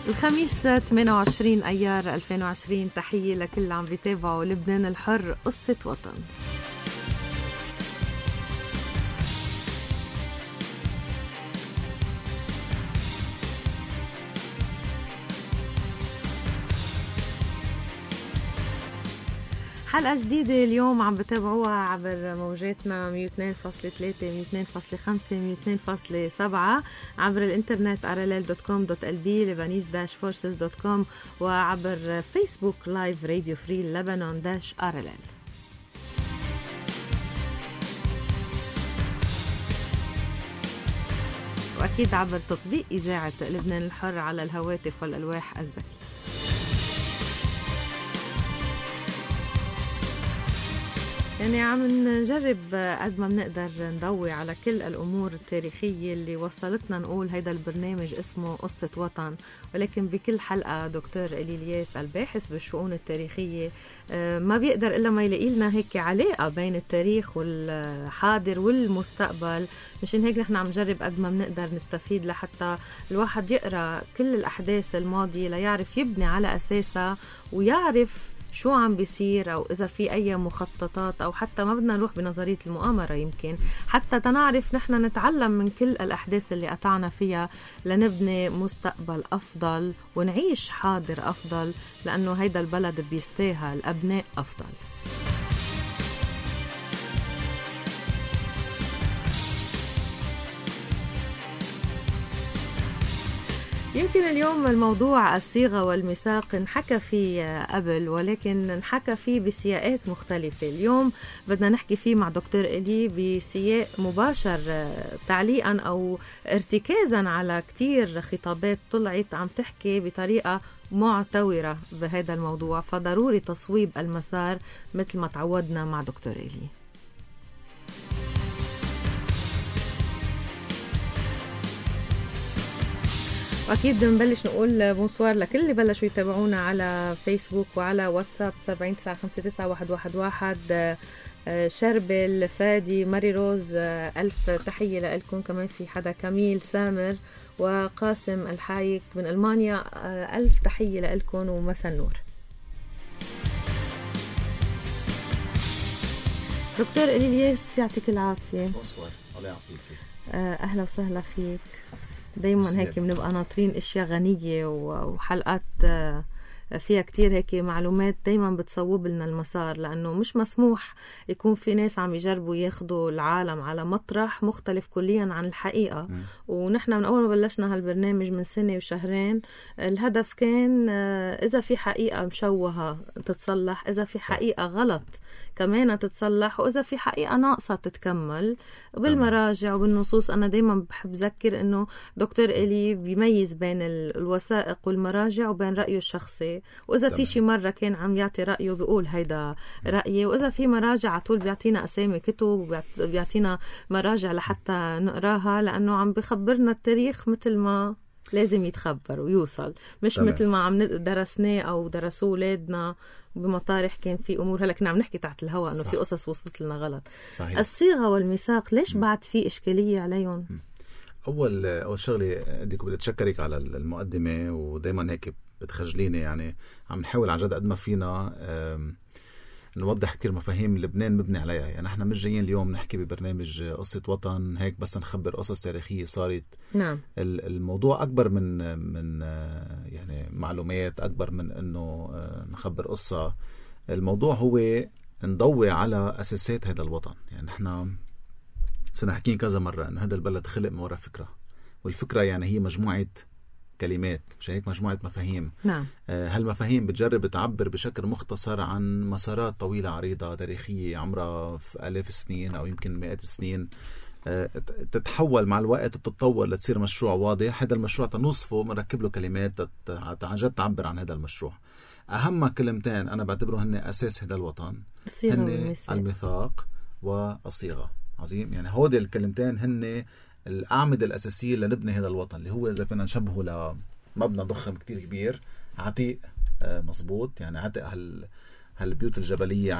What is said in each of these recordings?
الخميس 28 أيار 2020. تحية لكل عم بيتابعوا لبنان الحر قصة وطن. حلقة جديدة اليوم عم بتابعوها عبر موجاتنا 102.3 102.5 102.7 عبر الانترنت rll.com.lb lebanese-forces.com وعبر فيسبوك لايف راديو فري لبنان-RLL. وأكيد عبر تطبيق إذاعة لبنان الحر على الهواتف والألواح الذكية. يعني عم نجرب قد ما بنقدر نضوي على كل الأمور التاريخية اللي وصلتنا نقول هيدا البرنامج اسمه قصة وطن، ولكن بكل حلقة دكتور إلي الياس الباحث بالشؤون التاريخية ما بيقدر إلا ما يلاقي لنا هيك علاقة بين التاريخ والحاضر والمستقبل. مشان هيك نحن عم نجرب قد ما بنقدر نستفيد لحتى الواحد يقرأ كل الأحداث الماضية ليعرف يبني على أساسها ويعرف شو عم بيصير، أو إذا في أي مخططات، أو حتى ما بدنا نروح بنظرية المؤامرة، يمكن حتى تنعرف نحن نتعلم من كل الأحداث اللي قطعنا فيها لنبني مستقبل أفضل ونعيش حاضر أفضل، لأنه هيدا البلد بيستاهل أبناء أفضل. يمكن اليوم الموضوع الصيغة والميثاق انحكى فيه قبل، ولكن انحكى فيه بسياقات مختلفة. اليوم بدنا نحكي فيه مع دكتور إلي بسياق مباشر، تعليقا أو ارتكازا على كتير خطابات طلعت عم تحكي بطريقة معتورة بهذا الموضوع، فضروري تصويب المسار مثل ما تعودنا مع دكتور إلي. وأكيد بنبلش نقول بونسوار لكل اللي بلشوا يتابعونا على فيسبوك وعلى واتساب 79959111. شربل، فادي، ماري روز، ألف تحية لكم. كمان في حدا كميل سامر وقاسم الحايك من ألمانيا، ألف تحية لكم ومساء النور. دكتور إلي الياس يعطيك العافية. بونسوار، الله يعافيك. أهلا وسهلا فيك. دايما هيك بنبقى ناطرين اشياء غنية وحلقات فيها كتير هيك معلومات دايما بتصوب لنا المسار، لانه مش مسموح يكون في ناس عم يجربوا ياخدوا العالم على مطرح مختلف كليا عن الحقيقة. ونحن من اول ما بلشنا هالبرنامج من سنة وشهرين الهدف كان اذا في حقيقة مشوهة تتصلح، اذا في حقيقة غلط كمان تتصلح، واذا في حقيقة ناقصة تتكمل بالمراجع وبالنصوص. انا دايما بحب ذكر انه دكتور إلي بيميز بين الوثائق والمراجع وبين رأيه الشخصي، وإذا في شي مرة كان عم يعطي رأيه بيقول هيدا رأيي، وإذا في مراجع عطول بيعطينا أسامي كتب وبيعطينا مراجع لحتى نقراها، لأنه عم بخبرنا التاريخ مثل ما لازم يتخبر ويوصل، مش مثل ما عم درسناه أو درسوه ولادنا بمطارح كان في أمور. هلأ كنا عم نحكي تحت الهواء أنه في قصص وصلت لنا غلط. صحيح. الصيغة والميثاق ليش بعد في إشكالية عليهم؟ أول شغلة بدي أتشكرك على المقدمة، ودايما هيك بتخجليني. يعني عم نحاول عن جد قد ما فينا نوضح كتير مفاهيم لبنان مبني عليها. يعني احنا مش جايين اليوم نحكي ببرنامج قصة وطن هيك بس نخبر قصص تاريخية صارت. نعم. الموضوع أكبر من يعني معلومات، أكبر من إنه نخبر قصة. الموضوع هو نضوي على أساسات هذا الوطن. يعني احنا سنحكين كذا مرة إنه هذا البلد خلق من وراء فكرة، والفكرة يعني هي مجموعة كلمات، مش هيك، مجموعة مفاهيم. نعم. هالمفاهيم بتجرب تعبر بشكل مختصر عن مسارات طويلة عريضة تاريخية عمرها في آلاف السنين أو يمكن مئات السنين، تتحول مع الوقت وتتطور لتصير مشروع واضح. هذا المشروع تنوصفه مركب له كلمات عن جد تعبر عن هذا المشروع. أهم كلمتين أنا بعتبره هن أساس هذا الوطن، هن الميثاق والصيغة. عظيم. يعني هودي الكلمتين هن الأعمدة الأساسية لنبني هذا الوطن، اللي هو إذا فينا نشبهه لمبنى ضخم كتير كبير، عتيق مظبوط، يعني عتق هالبيوت الجبلية،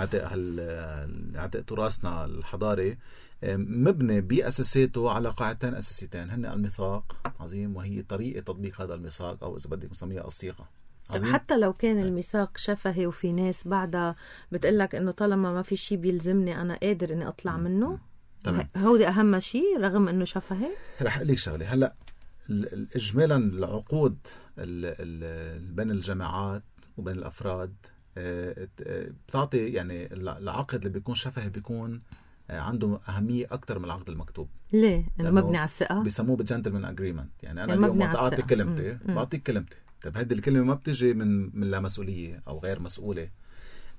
عتق تراثنا الحضاري، مبني بأساساته على قاعدتين أساسيتين، هن الميثاق عظيم وهي طريقة تطبيق هذا الميثاق، أو إذا بدك نسميها الصيغة. حتى لو كان الميثاق شفهي وفي ناس بعدها بتقلك إنه طالما ما في شيء بيلزمني أنا قادر إني أطلع منه، هودي أهم شيء رغم إنه شفهي. رح أقول لك شغلة، هلأ إجمالا العقود بين الجماعات وبين الأفراد بتعطي يعني العقد اللي بيكون شفهي بيكون عنده أهمية أكتر من العقد المكتوب. ليه؟ إنه مبني على الثقة، بيسموه بالجنتلمان أجريمنت. يعني أنا اليوم أعطي كلمتي بعطيك كلمتي، طيب هذه الكلمة ما بتجي من لا مسؤولية أو غير مسؤولة،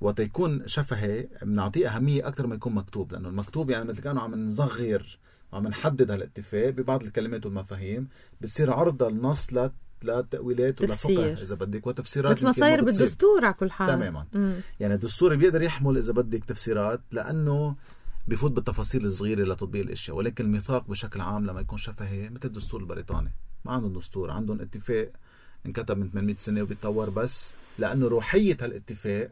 وتيكون شفهي بنعطيه أهمية أكتر ما يكون مكتوب، لأنه المكتوب يعني مثل كانوا عم نصغر وعم نحدد هالاتفاق ببعض الكلمات والمفاهيم، بتصير عرضة النص لتأويلات ولفقه إذا بدك وتفسيرات مثل ما صاير بالدستور على كل حال. تماما. يعني الدستور بيقدر يحمل إذا بدك تفسيرات لأنه بيفوت بالتفاصيل الصغيرة لتطبيق الأشياء، ولكن الميثاق بشكل عام لما يكون شفهي مثل الدستور البريطاني، ما عندهم دستور، عندهم اتفاق انكتب من 800 سنة وبيتطور، بس لأنه روحية هالاتفاق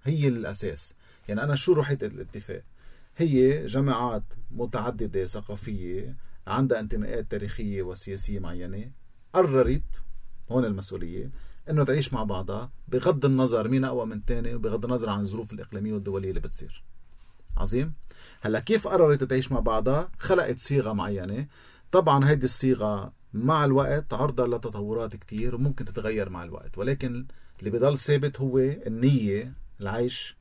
هي الأساس. يعني أنا شو روحية الاتفاق؟ هي جماعات متعددة ثقافية عندها انتماءات تاريخية وسياسية معينة قررت، هون المسؤولية، إنه تعيش مع بعضها بغض النظر مين أقوى من تاني وبغض النظر عن الظروف الإقليمية والدولية اللي بتصير. عظيم. هلا كيف قررت تعيش مع بعضها؟ خلقت صيغة معينة. طبعا هيدي الصيغة مع الوقت عرضة لتطورات كتير وممكن تتغير مع الوقت، ولكن اللي بيضل ثابت هو النية، العيش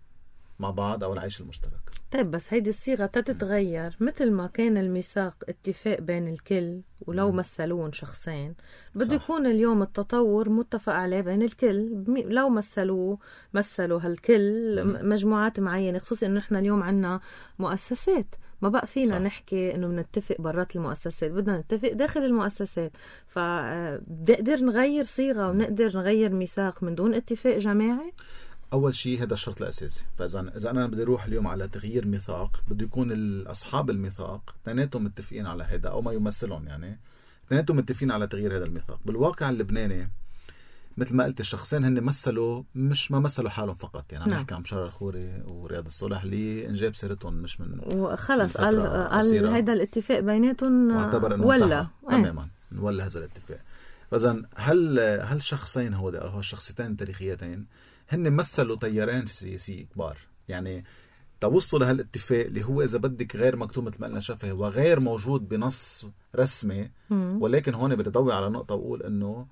مع بعض أو العيش المشترك. طيب بس هيدي الصيغة تتغير مثل ما كان الميثاق اتفاق بين الكل، ولو مثلون شخصين بده يكون اليوم التطور متفق عليه بين الكل. لو مثلوا هالكل مجموعات معينة، خصوصي انه نحن اليوم عنا مؤسسات، ما بقى فينا نحكي انه بنتفق برات المؤسسات، بدنا نتفق داخل المؤسسات. فبنقدر نغير صيغة ونقدر نغير ميثاق من دون اتفاق جماعي. أول شيء هذا الشرط الأساسي. فإذا أنا بدي أروح اليوم على تغيير ميثاق، بده يكون أصحاب الميثاق اثنيناتهم متفقين على هذا، أو ما يمثلون يعني اثنيناتهم متفقين على تغيير هذا الميثاق. بالواقع اللبناني مثل ما قلت الشخصين هن مثلوا، مش ما مثلوا حالهم فقط. يعني عم نحكي عن بشار الخوري ورياض الصلح اللي انجاب سيرتهم مش من وخلص قال هيدا الاتفاق بيناتهم ولا تماما ولا هذا الاتفاق. فإذا هل شخصين هو الشخصيتين التاريخيتين هن مثلوا تيارين سياسي كبار، يعني توصلوا لهالاتفاق اللي هو إذا بدك غير مكتوب مثل ما قلنا شفهي وغير موجود بنص رسمي. ولكن هون بدي أضوي على نقطة وأقول إنه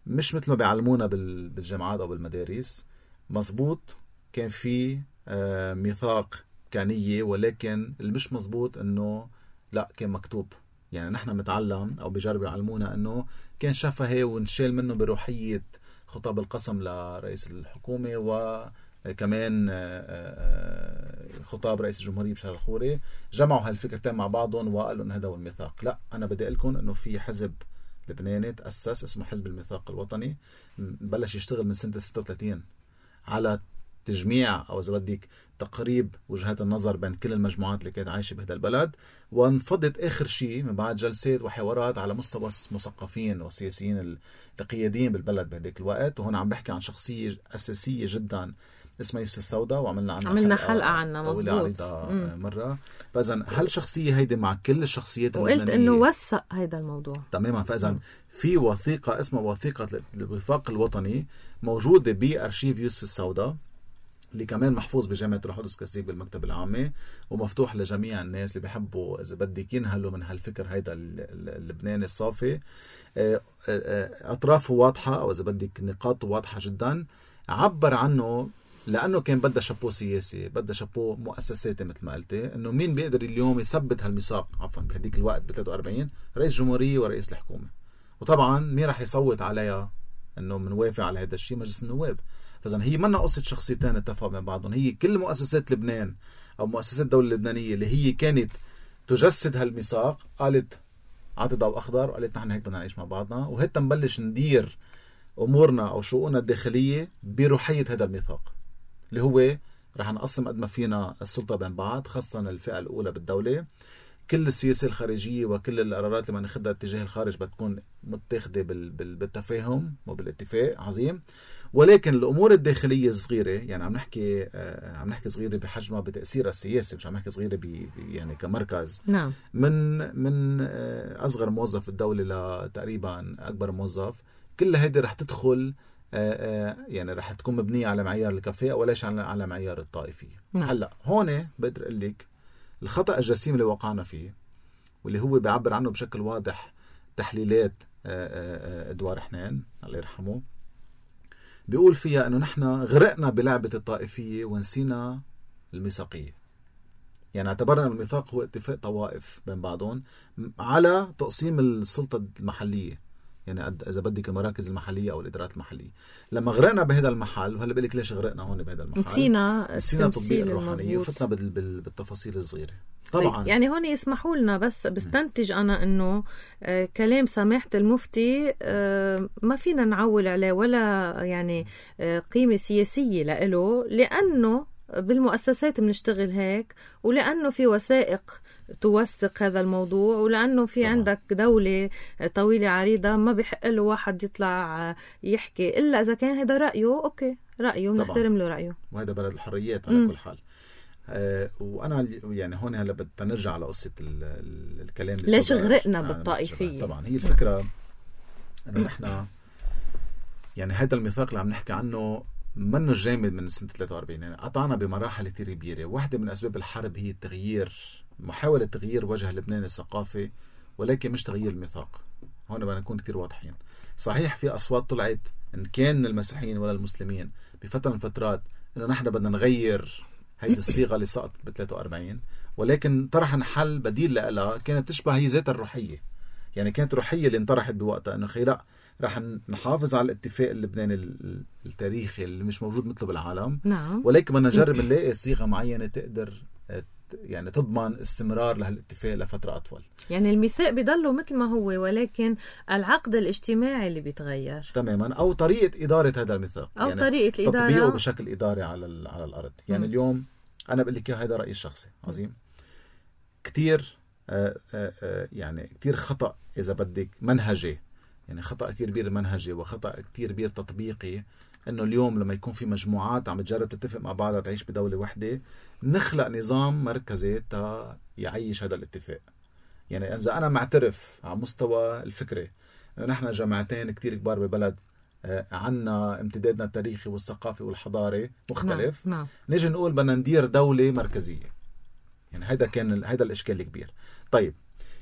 مش مثل ما بيعلمونا بالجامعات أو بالمدارس. مزبوط كان في ميثاق كانية، ولكن اللي مش مزبوط إنه لا كان مكتوب. يعني نحن متعلم أو بيجربوا يعلمونا إنه كان شفهي ونشيل منه بروحية خطاب القسم لرئيس الحكومة، وكمان خطاب رئيس الجمهورية بشار الخوري، جمعوا هالفكرتين مع بعضهم وقالوا إن هذا هو الميثاق. لا، أنا بدي أقولكم إنه في حزب لبناني تأسس اسمه حزب الميثاق الوطني، بلش يشتغل من سنة 36 على تجميع أو إذا بدك تقريب وجهات النظر بين كل المجموعات اللي كانت عايشة بهذا البلد، وانفضت آخر شيء من بعد جلسات وحوارات على مستوى مثقفين وسياسيين القياديين بالبلد بهذاك الوقت. وهنا عم بحكي عن شخصية أساسية جدا اسمها يوسف السوداء، وعملنا حلقة عنها مظبوط مرة. فإذا هالشخصية هيدي مع كل الشخصيات وقلت إنه وثق هيدا الموضوع تماما. فإذا في وثيقة اسمها وثيقة الوفاق الوطني موجودة بأرشيف يوسف السوداء، اللي كمان محفوظ بجامعة روح القدس كاسيك بالمكتبة العامة، ومفتوح لجميع الناس اللي بيحبوا إذا بدك ينهلوا من هالفكر هيدا اللبناني الصافي. أطرافه واضحة أو إذا بدك نقاطه واضحة جدا. عبر عنه لأنه كان بدأ شابو سياسي، بدأ شابو مؤسساتي مثل ما قلتي، إنه مين بيقدر اليوم يثبت هالميثاق عفوا بهديك الوقت ب 43 رئيس جمهورية ورئيس الحكومة. وطبعا مين رح يصوت عليها إنه منوافق على هذا الشيء؟ مجلس النواب. فإذا هي منا قصة شخصيتين اتفقوا من بعضهم، هي كل مؤسسات لبنان أو مؤسسات الدولة اللبنانية اللي هي كانت تجسد هالميثاق قالت عطي ضوء أخضر وقالت نحن هيك بدنا نعيش مع بعضنا، وهيك نبلش ندير أمورنا أو شؤوننا الداخلية بروحية هذا الميثاق اللي هو رح نقسم قد ما فينا السلطة بين بعض، خاصة الفئة الأولى بالدولة. كل السياسة الخارجية وكل القرارات اللي ناخدها اتجاه الخارج بتكون متاخدة بالتفاهم وبالاتفاق. عظيم. ولكن الأمور الداخلية الصغيرة، يعني عم نحكي صغيرة بحجمها بتأثيرها السياسي، مش عم نحكي صغيرة يعني كمركز. نعم. من أصغر موظف في الدولة لتقريبا أكبر موظف، كل هيدي رح تدخل يعني رح تكون مبنية على معيار الكفاءة وليش على معيار الطائفية. نعم. هلأ هون بقدر أقول لك الخطأ الجسيم اللي وقعنا فيه، واللي هو بيعبر عنه بشكل واضح تحليلات إدوار حنان الله يرحمه، بيقول فيها أنه نحن غرقنا بلعبة الطائفية ونسينا الميثاقية. يعني اعتبرنا الميثاق هو اتفاق طوائف بين بعضهم على تقسيم السلطة المحلية، يعني إذا بدك المراكز المحلية أو الإدارات المحلية. لما غرقنا بهذا المحل، وهلا بقول لك ليش غرقنا هون بهذا المحل، نسينا تطبيق الروحانية وفتنا بالتفاصيل الصغيرة. طبعا يعني هون يسمحوا لنا بس بستنتج أنا أنه كلام سماحة المفتي ما فينا نعول عليه ولا يعني قيمة سياسية لإله، لأنه بالمؤسسات بنشتغل هيك، ولأنه في وثائق توثق هذا الموضوع، ولأنه في عندك دولة طويلة عريضة ما بيحق له واحد يطلع يحكي إلا إذا كان هذا رأيه. أوكي، رأيه بنحترم له رأيه، وهذا بلد الحريات على كل حال. وأنا يعني هون هلا بدنا نرجع على قصة الكلام ليش غرقنا بالطائفية. طبعا هي الفكرة أنه نحن يعني هذا الميثاق اللي عم نحكي عنه منه جامد من سنة 43، يعني قطعنا بمراحل كتير كبيرة. واحدة من أسباب الحرب هي محاولة تغيير وجه لبنان الثقافي، ولكن مش تغيير الميثاق. هون بدنا نكون كتير واضحين. صحيح في أصوات طلعت إن كان المسيحيين ولا المسلمين بفترة من فترات إنه نحن بدنا نغير هيدي الصيغة اللي سقطت ب 43، ولكن طرحنا حل بديل لها كانت تشبه هي ذات الروحية. يعني كانت روحية اللي انطرحت بوقتها إنه لا، رح نحافظ على الاتفاق اللبناني التاريخي اللي مش موجود مثله بالعالم. نعم. ولكن بدنا نجرب نلاقي صيغة معينة تقدر يعني تضمن استمرار لهالاتفاق لفترة أطول. يعني الميثاق بيضله مثل ما هو، ولكن العقد الاجتماعي اللي بيتغير تماما، أو طريقة إدارة هذا الميثاق، أو يعني طريقة الإدارة، تطبيقه بشكل إداري على الأرض. يعني اليوم أنا بقول لك هذا رأيي الشخصي. عظيم. كتير يعني كتير خطأ إذا بدك منهجي، يعني خطأ كتير كبير منهجي وخطأ كتير كبير تطبيقي، انه اليوم لما يكون في مجموعات عم تجرب تتفق مع بعضها تعيش بدولة واحدة، نخلق نظام مركزي تا يعيش هذا الاتفاق. يعني اذا انا معترف على مستوى الفكري انه نحن جماعتين كتير كبار ببلد عنا امتدادنا التاريخي والثقافي والحضاري مختلف، نعم. نيجي نقول بدنا ندير دولة مركزية. يعني هيدا الاشكال الكبير. طيب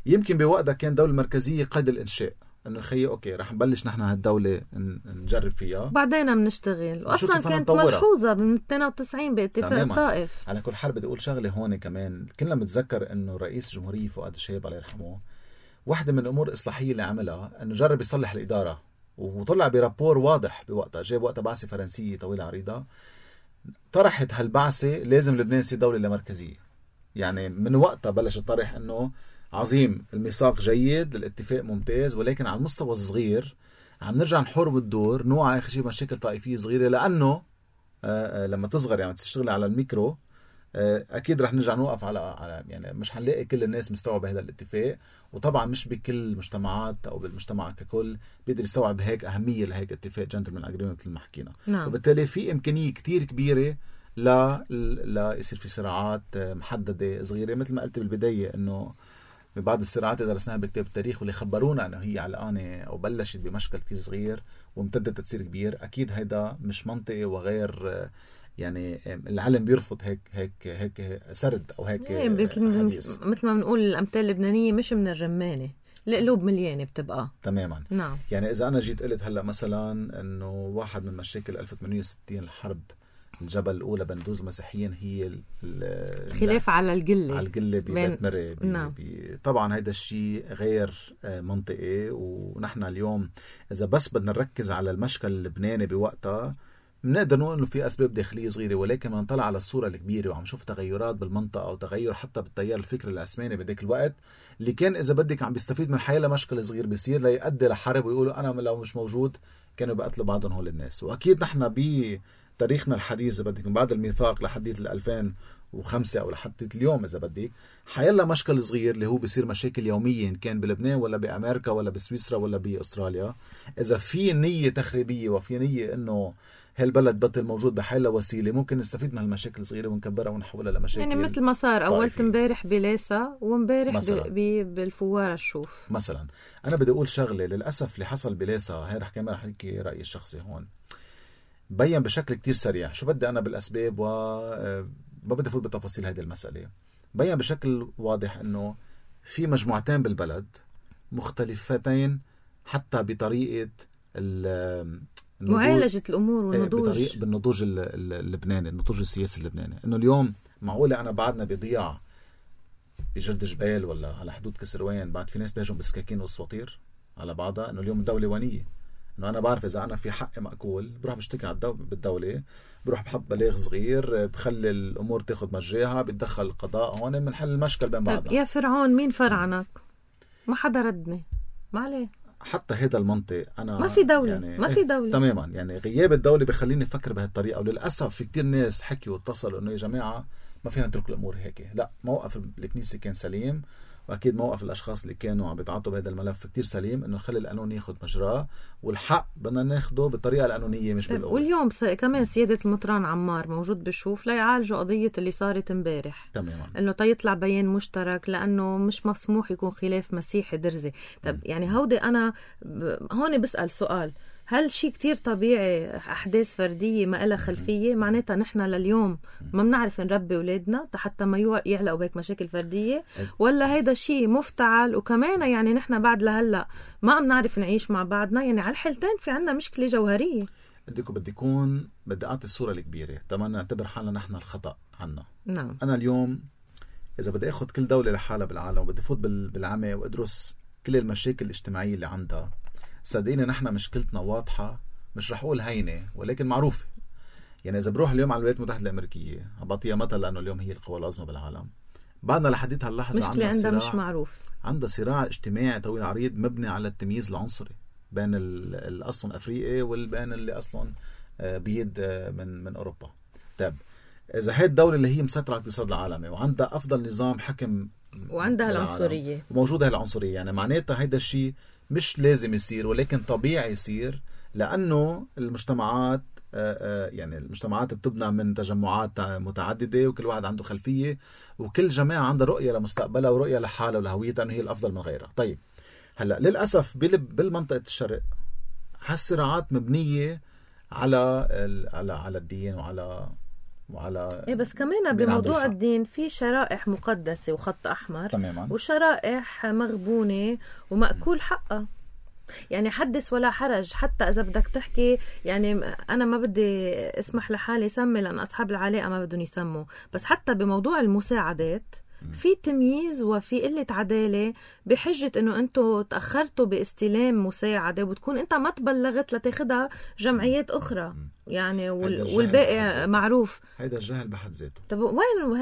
يمكن بوقتها كان دولة مركزية قيد الانشاء، انه خيي اوكي رح نبلش نحن هالدولة نجرب فيها بعدين بنشتغل. واصلا كانت ملحوظة من 92 باتفاق الطائف. على كل حال بدي اقول شغله هون كمان، كلنا متذكر انه رئيس الجمهورية فؤاد الشهيب الله يرحمه، واحدة من الامور الاصلاحية اللي عملها انه جرب يصلح الادارة، وطلع برابور واضح بوقتها. جاب وقتها بعثة فرنسية طويلة عريضة طرحت هالبعثة لازم لبنان يصير دولة لا مركزية. يعني من وقتها بلش الطرح انه عظيم، الميثاق جيد، الاتفاق ممتاز، ولكن على المستوى الصغير عم نرجع نحور بالدور، نوعى آخر شيء مشاكل طائفية صغيرة، لأنه لما تصغر يعني تشتغل على الميكرو أكيد رح نرجع نوقف على يعني مش هنلاقي كل الناس مستوعبة هذا الاتفاق، وطبعا مش بكل المجتمعات أو بالمجتمع ككل بيقدر يستوعب هيك أهمية لهيك اتفاق جنتلمان أجريمنت مثل ما حكينا. نعم. وبالتالي في إمكانية كتير كبيرة لا يصير في صراعات محددة صغيرة، مثل ما قلت بالبداية إنه ببعض الصراعات اللي درسناها بكتاب التاريخ واللي خبرونا انه هي علقانه او بلشت بمشكل كتير صغير وامتدت تصير كبير، اكيد هيدا مش منطقي وغير يعني العلم بيرفض هيك سرد او هيك مثل ما بنقول الامثال اللبنانيه مش من الرمانه، القلوب مليانه بتبقى تماما. نعم. يعني اذا انا جيت قلت هلا مثلا انه واحد من مشاكل 1860 الحرب الجبل الأولى بين دوز المسيحيين هي الخلاف على القلة ببيت مري. نعم. طبعا هيدا الشيء غير منطقي، ونحن اليوم إذا بس بدنا نركز على المشكل اللبناني بوقتها بنقدر نقول إنه في أسباب داخلية صغيرة، ولكن ما نطلع على الصورة الكبيرة وعم شوف تغيرات بالمنطقة أو تغير حتى بالتيار الفكري العثماني بذاك الوقت اللي كان إذا بدك عم بيستفيد من حياة مشكل صغير بيصير ليؤدي لحرب، ويقولوا أنا لو مش موجود كانوا بيقتلوا بعضهم هول الناس. وأكيد نحن تاريخنا الحديث إذا بدك من بعد الميثاق لحديث 2005 أو لحديث اليوم إذا بدك، حيلا مشكل صغير اللي هو بيصير مشاكل يومية إن كان بلبنان ولا بأمريكا ولا بسويسرا ولا بأستراليا. إذا في نية تخريبية وفي نية إنه هالبلد بطل موجود بحالة وسيلة، ممكن نستفيد من هالمشاكل الصغيرة ونكبرها ونحولها لمشاكل يعني مثل ما صار أول طائفية. امبارح بليسا وامبارح بالفوارة الشوف مثلا. أنا بدي أقول شغلة، للأسف اللي حصل بليسا هاي رح كمان رح نحكي رأيي الشخصي هون، بين بشكل كتير سريع شو بدي أنا بالأسباب ما بدي أفوت بتفاصيل هذه المسألة. بين بشكل واضح إنه في مجموعتين بالبلد مختلفتين حتى بطريقة معالجة الأمور والنضوج بالنضوج اللبناني، النضوج السياسي اللبناني. إنه اليوم معقولة أنا بعدنا بضياع بجرد جبال ولا على حدود كسروان بعد في ناس بيهجم بسكاكين والسواطير على بعضها؟ إنه اليوم الدولة وانية، إنه أنا بعرف إذا أنا في حق مأكول بروح بشتكي على بالدولة، بروح بحط بلاغ صغير، بخلي الأمور تاخد مجراها، بيتدخل القضاء، هون بنحل المشكل بين بعضنا. يا فرعون مين فرعنك؟ ما حدا ردني، ما عليه. حتى هذا المنطق أنا ما في دولة، يعني ما في دولة تماما. يعني غياب الدولة بخليني أفكر بهالطريقة. وللأسف في كتير ناس حكيوا واتصلوا إنه يا جماعة ما فينا نترك الأمور هيك. لا، موقف الكنيسة كان سليم، وأكيد موقف الأشخاص اللي كانوا عم بيتعاطوا بهذا الملف كتير سليم، إنه خلي القانون ياخد مجراه، والحق بدنا ناخده بالطريقة القانونية مش بالقوة. واليوم كمان سيادة المطران عمار موجود بشوف ليعالجوا قضية اللي صارت امبارح، تماما، إنه تيطلع بيان مشترك لأنه مش مسموح يكون خلاف مسيحي درزي. طب يعني هودي أنا هون بسأل سؤال، هل شيء كتير طبيعي أحداث فردية ما إلها خلفية؟ معناتها نحن لليوم ما بنعرف نربي أولادنا حتى ما يعلقوا بهيك مشاكل فردية، ولا هيدا شيء مفتعل؟ وكمان يعني نحن بعد لهلأ ما عم نعرف نعيش مع بعضنا. يعني على الحالتين في عنا مشكلة جوهرية. بدي أعطي الصورة الكبيرة، تمام، نعتبر حالنا نحن الخطأ عنا. نعم. أنا اليوم إذا بدي أخذ كل دولة لحالها بالعالم وبدي فوت بالعمى وأدرس كل المشاكل الاجتماعية اللي عندها، صدقيني نحن مشكلتنا واضحة، مش رح أقول هينة ولكن معروفة. يعني إذا بروح اليوم على الولايات المتحدة الأمريكية، بعطيها مثل لأنه اليوم هي القوى العظمى بالعالم، بعدنا لحديت هاللحظة عندها مش معروف، عندها صراع اجتماعي طويل عريض مبني على التمييز العنصري بين الأصل أفريقي والبين اللي أصلا بيد من أوروبا. طيب إذا هاي الدولة اللي هي مسيطرة على الاقتصاد العالمي وعندها أفضل نظام حكم وعندها العنصرية وموجودة هالعنصرية، يعني معناتها هيدا الشيء مش لازم يصير ولكن طبيعي يصير، لأنه المجتمعات يعني المجتمعات بتبنى من تجمعات متعددة وكل واحد عنده خلفية وكل جماعة عندها رؤية لمستقبلها ورؤية لحالها ولهويتها أنه هي الأفضل من غيرها. طيب هلأ للأسف بالمنطقة الشرق هالصراعات مبنية على الدين وعلى إيه، بس كمان بموضوع الدين في شرائح مقدسة وخط أحمر تماما، وشرائح مغبونة ومأكول حقها. يعني حدث ولا حرج، حتى إذا بدك تحكي يعني أنا ما بدي اسمح لحالي سمي لأن أصحاب العلاقة ما بدهم يسموا، بس حتى بموضوع المساعدات في تمييز وفي قلة عدالة بحجة إنه أنتوا تأخرتوا باستلام مساعدة وبتكون أنت ما تبلغت لتاخدها جمعيات أخرى يعني والباقي معروف. هيدا الجهل بحد ذاته. طب وين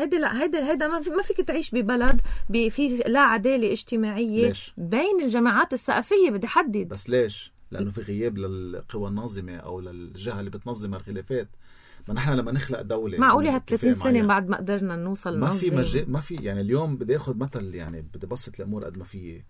هيدا ما فيك تعيش ببلد في لا عدالة اجتماعية. ليش؟ بين الجماعات الثقافية بدي حدد. بس ليش؟ لأنه في غياب للقوى الناظمة أو للجهة اللي بتنظم الخلافات. ما نحن لما نخلق دولة معقولة 30 سنة بعد ما قدرنا نوصل ما في يعني اليوم بدي اخذ مثل، يعني بدي بسط الامور قد ما في.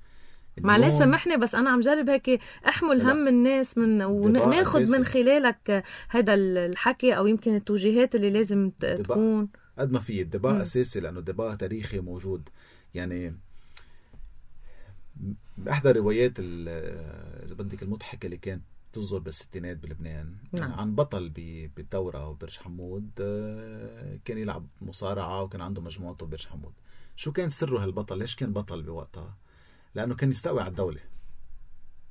معلش سامحني بس انا عم جرب هيك احمل هم الناس وناخذ من خلالك هذا الحكي او يمكن التوجيهات اللي لازم تكون قد ما في الدباء اساسي، لانه الدباء تاريخي موجود. يعني باحدى روايات اذا بدك المضحكة اللي كانت تصدر بالستينات بلبنان، نعم. عن بطل بالدورة وبرج حمود كان يلعب مصارعة وكان عنده مجموعته برج حمود. شو كان سره هالبطل؟ ليش كان بطل بوقتها؟ لأنه كان يستوي على الدولة.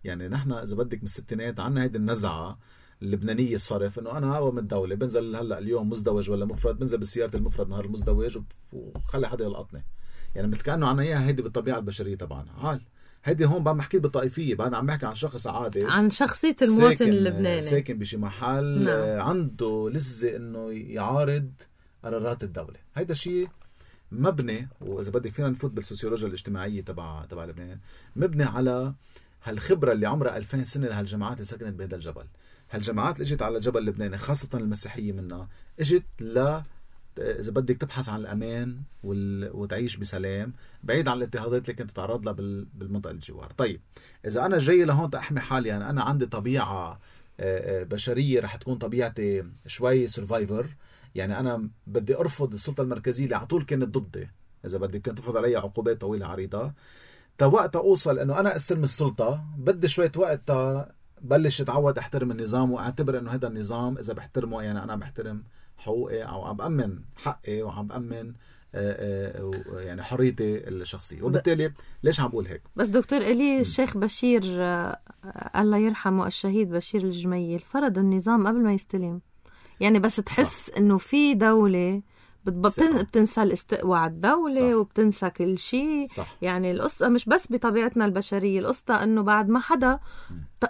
يعني نحن إذا بدك من الستينات عنا هيدي النزعة اللبنانية الصرف إنه أنا أقوى من الدولة، بنزل هلأ اليوم مزدوج ولا مفرد، بنزل بسيارة المفرد نهار المزدوج وخلي حدا يلقطني. يعني مثل كأنه عنا إياها هيدي بالطبيعة البشرية طبعا. عال هيدي هون بعد ما حكيت بالطائفية، بعد عم بحكي عن شخص عادي، عن شخصية المواطن اللبناني ساكن بشي محل. نعم. عنده لذة انه يعارض قرارات الدولة. هيدا شيء مبني، واذا بدك فينا نفوت بالسوسيولوجيا الاجتماعية تبع لبنان، مبني على هالخبرة اللي عمرها 2000 سنة لهالجماعات اللي سكنت بهذا الجبل. هالجماعات اللي اجت على الجبل اللبناني خاصة المسيحية منها اجت إذا بدك تبحث عن الأمان وتعيش بسلام بعيد عن الاضطهادات اللي كنت تتعرض لها بالمنطقة الجوار. طيب إذا أنا جاي لهون تأحمي حالي، يعني أنا عندي طبيعة بشرية رح تكون طبيعتي شوي سرفايفر، يعني أنا بدي أرفض السلطة المركزية اللي عطول كانت ضدي، إذا بدي كانت تفرض علي عقوبات طويلة عريضة. وقت أوصل أنه أنا أستلم السلطة بدي شوية وقت بلش أتعود أحترم النظام وأعتبر أنه هذا النظام إذا بحترمه يعني أنا بحترم حقوقي أو عم بأمن حقي وعم بأمن يعني حريتي الشخصية. وبالتالي ليش عم بقول هيك؟ بس دكتور إلي الشيخ بشير الله يرحمه الشهيد بشير الجميل فرض النظام قبل ما يستلم، يعني بس تحس صح. إنه في دولة بتنسى الاستقواء على الدولة صح. وبتنسى كل شيء. يعني القصة مش بس بطبيعتنا البشرية، القصة انه بعد ما حدا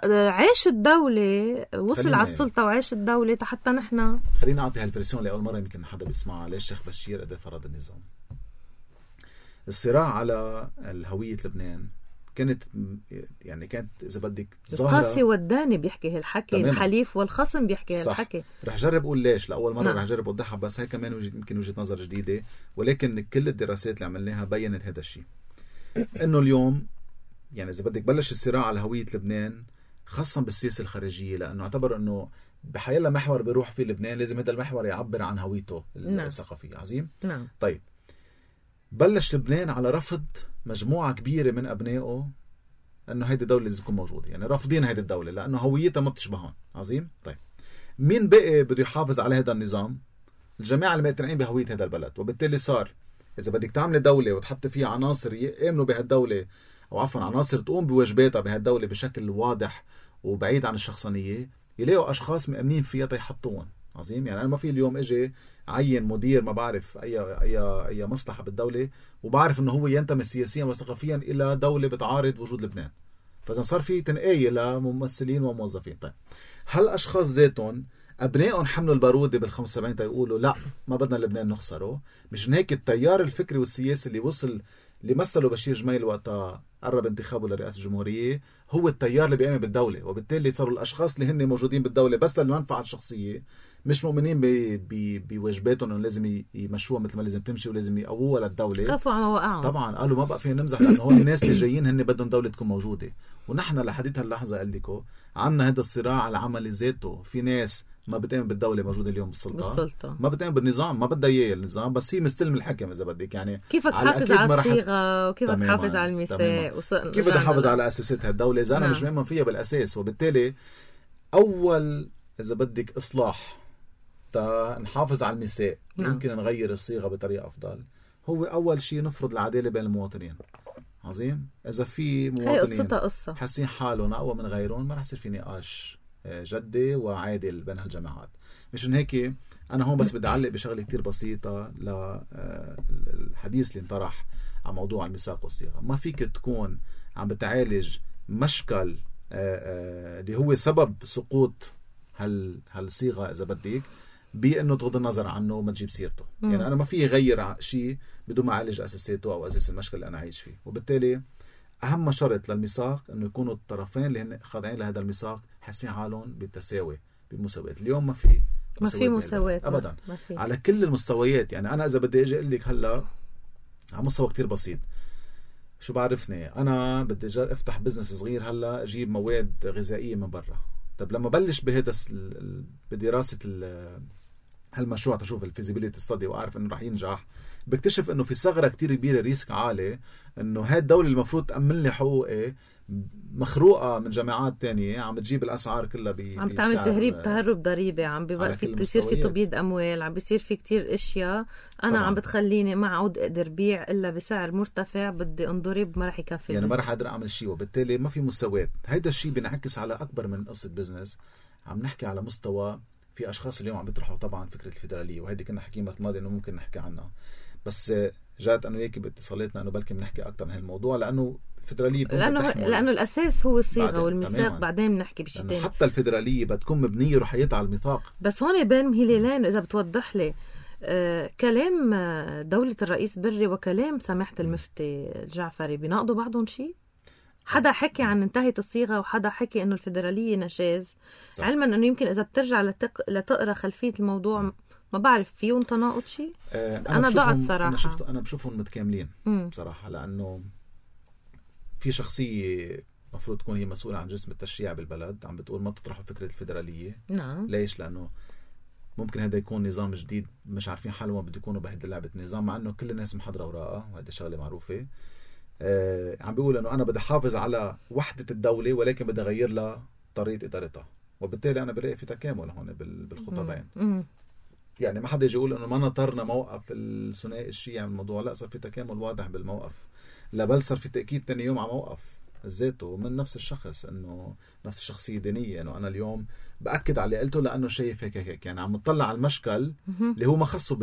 عاش الدولة وصل على السلطة وعاش الدولة حتى نحن. خلينا نعطي هالفرسيون لأول مرة يمكن حدا بيسمعها. ليش الشيخ بشير قد فرض النظام؟ الصراع على الهوية لبنان كانت إذا بدك ظاهرة. القاسي والداني بيحكي هالحكي، الحليف والخصم بيحكي هالحكي. رح جرب أقول ليش لأول مرة. رح جرب أوضحها، بس هاي كمان يمكن وجهة نظر جديدة، ولكن كل الدراسات اللي عملناها بيّنت هذا الشيء. إنه اليوم يعني إذا بدك بلش الصراع على هوية لبنان خاصة بالسياسة الخارجية، لأنه اعتبر إنه بحيلا محور بيروح فيه لبنان لازم هذا المحور يعبر عن هويته الثقافية. عظيم. طيب بلش لبنان على رفض مجموعة كبيرة من أبنائه أنه هيدي الدولة لازم تكون موجودة، يعني رافضين هيدي الدولة لأنه هويتها ما بتشبهون. عظيم. طيب مين بقي بده يحافظ على هذا النظام؟ الجماعة المقتنعين بهوية هذا البلد. وبالتالي صار إذا بدك تعمل دولة وتحط فيها عناصر يؤمنوا بهالدولة أو عفوا عناصر تقوم بواجباتها بهالدولة بشكل واضح وبعيد عن الشخصانية، يلاقوا أشخاص مؤمنين فيها تيحطون. عظيم. يعني أنا ما في اليوم إجي عين مدير ما بعرف أي مصلحة بالدولة وبعرف إنه هو ينتمي سياسيا وثقافيا إلى دولة بتعارض وجود لبنان، فإذا صار في تنقية لممثلين وموظفين. طيب هل أشخاص ذاتهم أبنائهم حملوا البارودة بال75 تيقولوا لا ما بدنا لبنان نخسره؟ مشان هيك التيار الفكري والسياسي اللي مثلوا بشير جميل وقتها قرب انتخابه لرئاسة الجمهورية هو التيار اللي بيقام بالدولة. وبالتالي صاروا الأشخاص اللي هن موجودين بالدولة بس للمنفعة الشخصية، مش مؤمنين بواجباتهم انه لازم يمشوها مثل ما لازم تمشي ولازم يقووها للدولة. خافوا على مواقعهم. طبعا قالوا ما بقى فينا نمزح لانه هون الناس اللي جايين هن بدهم دولة تكون موجودة. ونحن لحديت هاللحظة قال لكم عنا هذا الصراع العملي ذاته. في ناس ما بتؤمن بالدولة موجودة اليوم بالسلطة. ما بتؤمن بالنظام، ما بدها اياه النظام، بس هي مستلم الحكم اذا بدك. يعني كيف تحافظ على الصيغة وكيف تحافظ على الميثاق كيف تحافظ على اساسات هالدولة اذا انا مش مؤمن فيها بالاساس. وبالتالي اول اذا بدك اصلاح نحافظ على الميثاق يمكن نغير الصيغة بطريقة أفضل، هو أول شيء نفرض العدالة بين المواطنين. عظيم. إذا في مواطنين حاسين حالهم أقوى من غيرهم ما رح يصير في نقاش جدي وعادل بين هالجماعات. مشان هيك أنا هون بس بدي أعلق بشغلة كتير بسيطة للحديث اللي انطرح عن موضوع الميثاق والصيغة. ما فيك تكون عم بتعالج مشكل اللي هو سبب سقوط هالصيغة إذا بدك بأنه تغض النظر عنه وما تجيب سيرته. يعني أنا ما في غير شيء بدون ما أعالج أساساته أو أساس المشكلة اللي أنا عايش فيه. وبالتالي أهم شرط للميثاق أنه يكونوا الطرفين اللي هن خاضعين لهذا الميثاق حاسين حالهم بالتساوي بمساواة. اليوم ما في مساواة أبدا على كل المستويات. يعني أنا إذا بدي أجي أقول لك هلا على مستوى كتير بسيط، شو بعرفني أنا بدي أفتح بزنس صغير هلا أجيب مواد غذائية من برا. طب لما بلش بهذا بدراسة هالمشروع تشوف الفيزيبيليتي الصدي وأعرف إنه رح ينجح، بكتشف إنه في ثغرة كتير كبيرة ريسك عالي إنه هاي الدولة المفروض تأمن لي حقوقي مخروقة من جامعات تانية عم بتجيب الأسعار كلها عم بتعمل تهرب ضريبي، عم بيصير في تبييض أموال، عم بيصير في كتير أشياء أنا طبعاً. عم بتخليني ما عود أقدر بيع إلا بسعر مرتفع، بدي انضرب ما رح يكفي يعني ما رح أقدر أعمل شيء. وبالتالي ما في مساواة. هيدا الشيء بنعكس على أكبر من قصة بزنس. عم نحكي على مستوى في أشخاص اليوم عم بيطرحوا طبعا فكرة الفيدرالية، وهيدي كنا حكينا مرة الماضية إنه ممكن نحكي عنها، بس جات أنا وياكي باتصالاتنا إنه بلكي بنحكي أكتر عن هالموضوع لأنه الفيدرالية لأنه الأساس هو الصيغة والميثاق. بعدين بنحكي بشيء تاني. حتى الفيدرالية بتكون مبنية رحيتها على الميثاق. بس هون بين مهللين إذا بتوضح لي كلام دولة الرئيس بري وكلام سماحة المفتي الجعفري بيناقضوا بعضهم شيء؟ حدا حكي عن انتهت الصيغة وحدا حكي إنه الفيدرالية نشاز، علما إنه يمكن إذا بترجع لتقرأ خلفية الموضوع ما بعرف فيهم تناقض شيء. أنا ضعت صراحة. أنا بشوفهم متكاملين بصراحة، لأنه في شخصية مفروض تكون هي مسؤولة عن جسم التشريع بالبلد عم بتقول ما تطرحوا فكرة الفيدرالية. نعم. ليش؟ لأنه ممكن هذا يكون نظام جديد مش عارفين حالهم ما بده يكونوا بهيدي لعبة نظام، مع إنه كل الناس محضرة وراءه وهذه شغلة معروفة. عم بيقول إنه أنا بدي حافظ على وحدة الدولة ولكن بدي أغير لها طريقة إدارتها، وبالتالي أنا بلاقي في تكامل هون بالخطابين. يعني ما حدا يجي يقول إنه ما نطرنا موقف الثنائي الشيعي من الموضوع، لا، صار في تكامل واضح بالموقف، لا بل صار في تأكيد تاني يوم على موقف ذاته من نفس الشخص، إنه نفس الشخصية دينية، إنه أنا اليوم بأكد على اللي قلته لأنه شايف هيك يعني عم نطلع على المشكل اللي هو ما خصه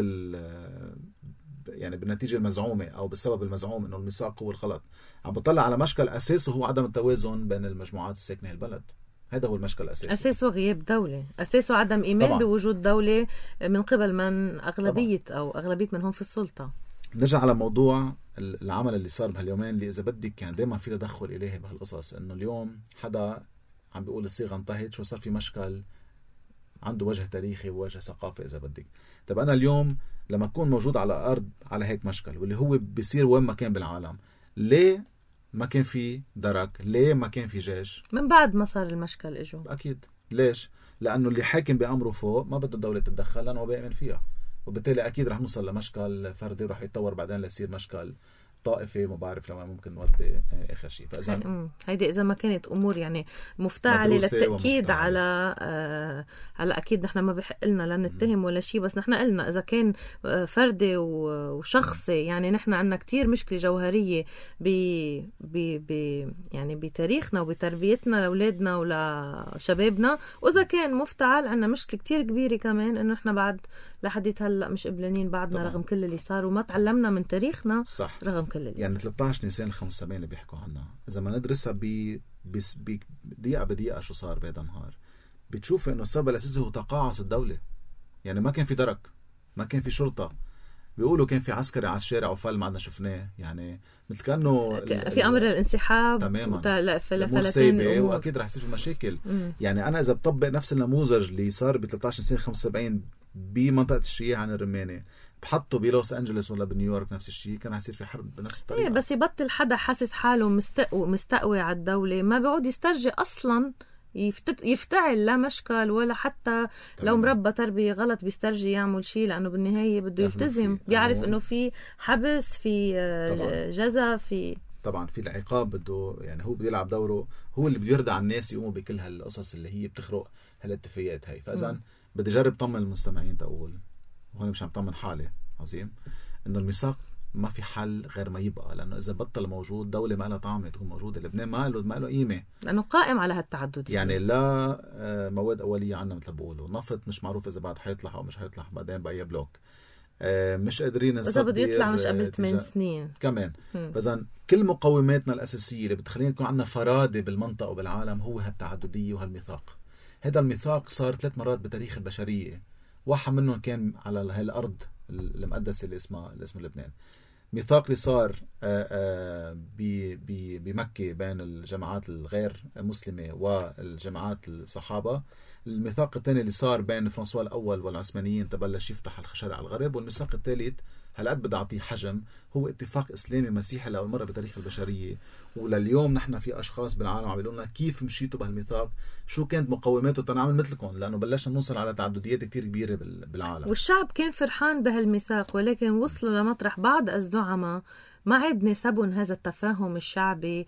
يعني بالنتيجة المزعومة أو بالسبب المزعوم إنه الميثاق هو الغلط، عم بطلع على مشكل أساسه هو عدم التوازن بين المجموعات الساكنة البلد. هذا هو المشكل الأساسي. أساسه غياب دولة، أساسه عدم إيمان طبعا بوجود دولة من قبل من أغلبية طبعا أو أغلبية من هم في السلطة. نرجع على موضوع العمل اللي صار بهاليومين اللي إذا بدك كان دائما في تدخل إلهي بهالقصص، إنه اليوم حدا عم بيقول الصيغة انتهت، شو صار في مشكل عنده وجه تاريخي ووجه ثقافي إذا بدك. طب أنا اليوم لما أكون موجود على أرض على هيك مشكل واللي هو بيصير وين ما كان بالعالم، ليه ما كان في درك؟ ليه ما كان في جيش؟ من بعد ما صار المشكل إجوا أكيد. ليش؟ لأنه اللي حاكم بأمره فوق ما بده الدولة تتدخل لأنه بيأمن فيها، وبالتالي أكيد رح نوصل لمشكل فردي ورح يتطور بعدين ليصير مشكل طائفي، ما بعرف لما ممكن نودي آخر شيء. فإذا هيدي إذا ما كانت أمور يعني مفتعلة للتأكيد على أكيد نحن ما بحق لنا لا نتهم ولا شيء، بس نحن قلنا إذا كان فردي وشخصي يعني نحن عنا كتير مشكلة جوهرية يعني بتاريخنا وبتربيتنا لأولادنا ولشبابنا، وإذا كان مفتعل عنا مشكلة كتير كبيرة كمان إنه نحن بعد لحديت هلأ مش قبلانين بعدنا طبعا. رغم كل اللي صار وما تعلمنا من تاريخنا. صح. رغم كل اللي يعني 13 نيسان 75 اللي بيحكوا عنها إذا ما ندرسها بدقيقة بدقيقة شو صار بهذا النهار، بتشوف إنه السبب الأساسي هو تقاعس الدولة. يعني ما كان في درك، ما كان في شرطة، بيقولوا كان في عسكري على الشارع وفل ما عدنا شفناه، يعني مثل كأنه في أمر الانسحاب تماما فلتين الأمور، وأكيد رح يصير في مشاكل. يعني أنا إذا بطبق نفس النموذج اللي صار ب 13 نيسان 75 بمنطقة الشيعة عن الرماني بحطه بلوس أنجلس ولا بنيويورك نفس الشيء، كان هيصير في حرب بنفس الطريقة. بس يبطل حدا حاسس حاله مستقوي على الدولة ما بيعود يسترجي أصلا يفتعل لا مشكل ولا حتى لو مربى تربية غلط بيسترجي يعمل شيء، لأنه بالنهاية بده يلتزم، بيعرف إنه في حبس، في جزا، في طبعا في العقاب، بده يعني هو بده يلعب دوره، هو اللي بده يرضى على الناس يقوموا بكل هالقصص اللي هي بتخرق هالاتفاقيات هاي. فإذا بدي جرب طمن المستمعين تقول، وهنا مش عم طمن حالي عظيم، إنه الميثاق ما في حل غير ما يبقى، لأنه إذا بطل موجود دولة ما لها طعم تكون موجودة. لبنان ما له قيمة لأنه قائم على هالتعدد، يعني لا مواد أولية عنا مثل بقولوا، نفط مش معروف إذا بعد حيطلع أو مش حيطلع بعدين بأي بلوك، مش قادرين نصدر، بده يطلع مش قبل 8 سنين كمان. فإذا كل مقوماتنا الأساسية اللي بتخلينا يكون عنا فرادة بالمنطقة وبالعالم هو هالتعددية وهالميثاق. هذا الميثاق صار 3 مرات بتاريخ البشرية، واحد منهم كان على هاي الأرض المقدسة اللي اسمها لبنان. ميثاق اللي صار بمكة بين الجماعات الغير مسلمة والجماعات الصحابة. الميثاق الثاني اللي صار بين فرانسوا الأول والعثمانيين تبلش يفتح الشرق على الغرب. والميثاق الثالث هالقد بدي أعطيه حجم هو اتفاق إسلامي مسيحي لأول مرة بتاريخ البشرية. ولليوم نحن في أشخاص بالعالم عم يقولون كيف مشيتوا بهالميثاق، شو كانت مقوماته تنعمل مثلكم، لأنه بلشنا نوصل على تعدديات كتير كبيرة بالعالم. والشعب كان فرحان بهالميثاق، ولكن وصلوا لمطرح بعض الزعماء ما عاد نسبهم هذا التفاهم الشعبي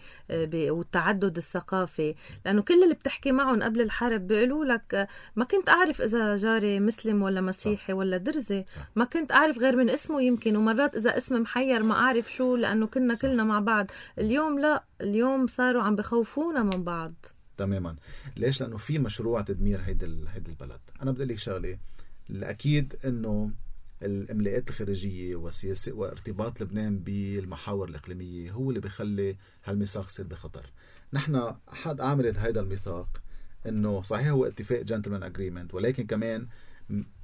والتعدد الثقافي، لأنه كل اللي بتحكي معهم قبل الحرب بيقولوا لك ما كنت أعرف إذا جاري مسلم ولا مسيحي ولا درزي، ما كنت أعرف غير من اسمه يمكن، ومرات إذا اسم محير ما أعرف شو، لأنه كنا كلنا مع بعض. اليوم لا، اليوم صاروا عم بخوفونا من بعض تماما. ليش؟ لأنه في مشروع تدمير هيدا البلد. أنا بدي لك شغلة، الأكيد إنه الإملاءات الخارجية وسياسة وارتباط لبنان بالمحاور الإقليمية هو اللي بيخلي هالميثاق يصير بخطر. نحن أحد عاملة هيدا الميثاق إنه صحيح هو اتفاق جنتلمان أجريمنت، ولكن كمان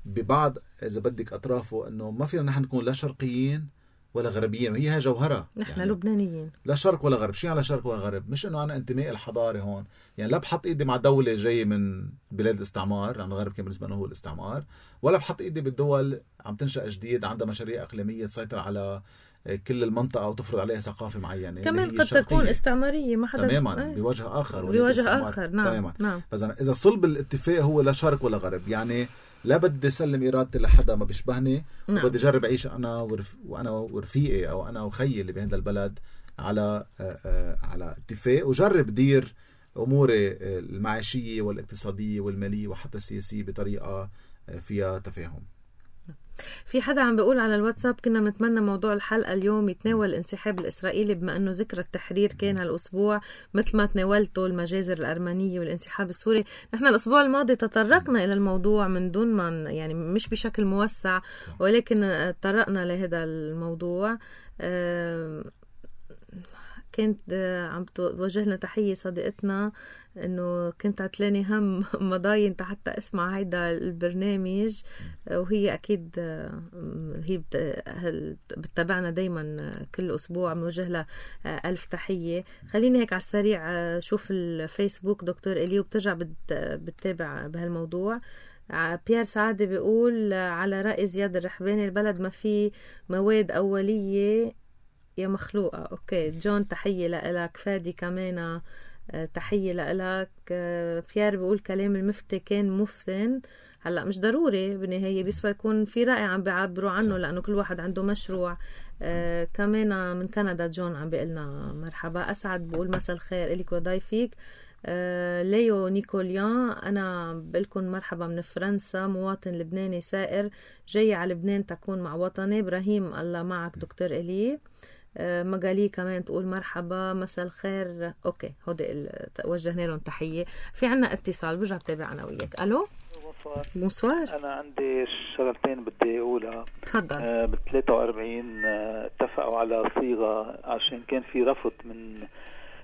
ببعض إذا بدك أطرافه إنه ما فينا نحن نكون لا شرقيين ولا غربيين، وهي جوهرة. نحن يعني لبنانيين، لا شرق ولا غرب. شيء على شرق ولا غرب، مش انه انا انتمائي الحضاري هون، يعني لا بحط ايدي مع دولة جاية من بلاد الاستعمار، لأن الغرب كان بالنسبة لنا هو الاستعمار، ولا بحط ايدي بالدول عم تنشأ جديد عندها مشاريع اقليمية تسيطر على كل المنطقة وتفرض عليها ثقافة معينة كمان قد تكون استعمارية، ما حدا تماما بوجه آخر، بوجه آخر. نعم تماما. نعم. إذا صلب الاتفاق هو لا شرق ولا غرب، يعني لا بدي سلم إرادتي لحدا ما بيشبهني، نعم. وبدي جرب أعيش أنا وأنا ورفيقي أو أنا وخيي اللي بهذا البلد على اتفاق، وجرب دير أموري المعيشية والاقتصادية والمالية وحتى السياسية بطريقة فيها تفاهم. في حدا عم بيقول على الواتساب كنا بنتمنى موضوع الحلقة اليوم يتناول الانسحاب الإسرائيلي، بما أنه ذكرى التحرير كان هالأسبوع مثل ما تناولته المجازر الأرمنية والانسحاب السوري. نحن الأسبوع الماضي تطرقنا إلى الموضوع من دون ما يعني مش بشكل موسع، ولكن تطرقنا لهذا الموضوع. كانت عم توجهنا تحية صديقتنا انه كنت عتلاني هم مضاين حتى اسمع هيدا البرنامج، وهي اكيد هي بتتابعنا دايما كل اسبوع، بنوجه لها الف تحية. خليني هيك على السريع شوف الفيسبوك دكتور إلي وبترجع بتتابع بهالموضوع. بيير سعادة بيقول على رأي زياد الرحباني البلد ما في مواد أولية يا مخلوقة. اوكي جون تحية لك. فادي كمان تحية لك. بيير بيقول كلام المفتي كان مفتن. هلا مش ضروري بالنهاية، بس يكون في رأي عم بيعبروا عنه لأنه كل واحد عنده مشروع. كمان من كندا جون عم بيقلنا مرحبا. أسعد بيقول مساء الخير إليك وضيفيك. ليو نيكوليان أنا بقلكن مرحبا من فرنسا، مواطن لبناني سائر جاي على لبنان تكون مع وطني. إبراهيم الله معك دكتور إلي. مقالي كمان تقول مرحبا مساء الخير. اوكي هودي وجهنا لهم تحيه. في عنا اتصال برجع بتابع انا وياك. الو بونسوار. انا عندي شغلتين بدي اقولها. تفضل. بال 43 اتفقوا على صيغه عشان كان في رفض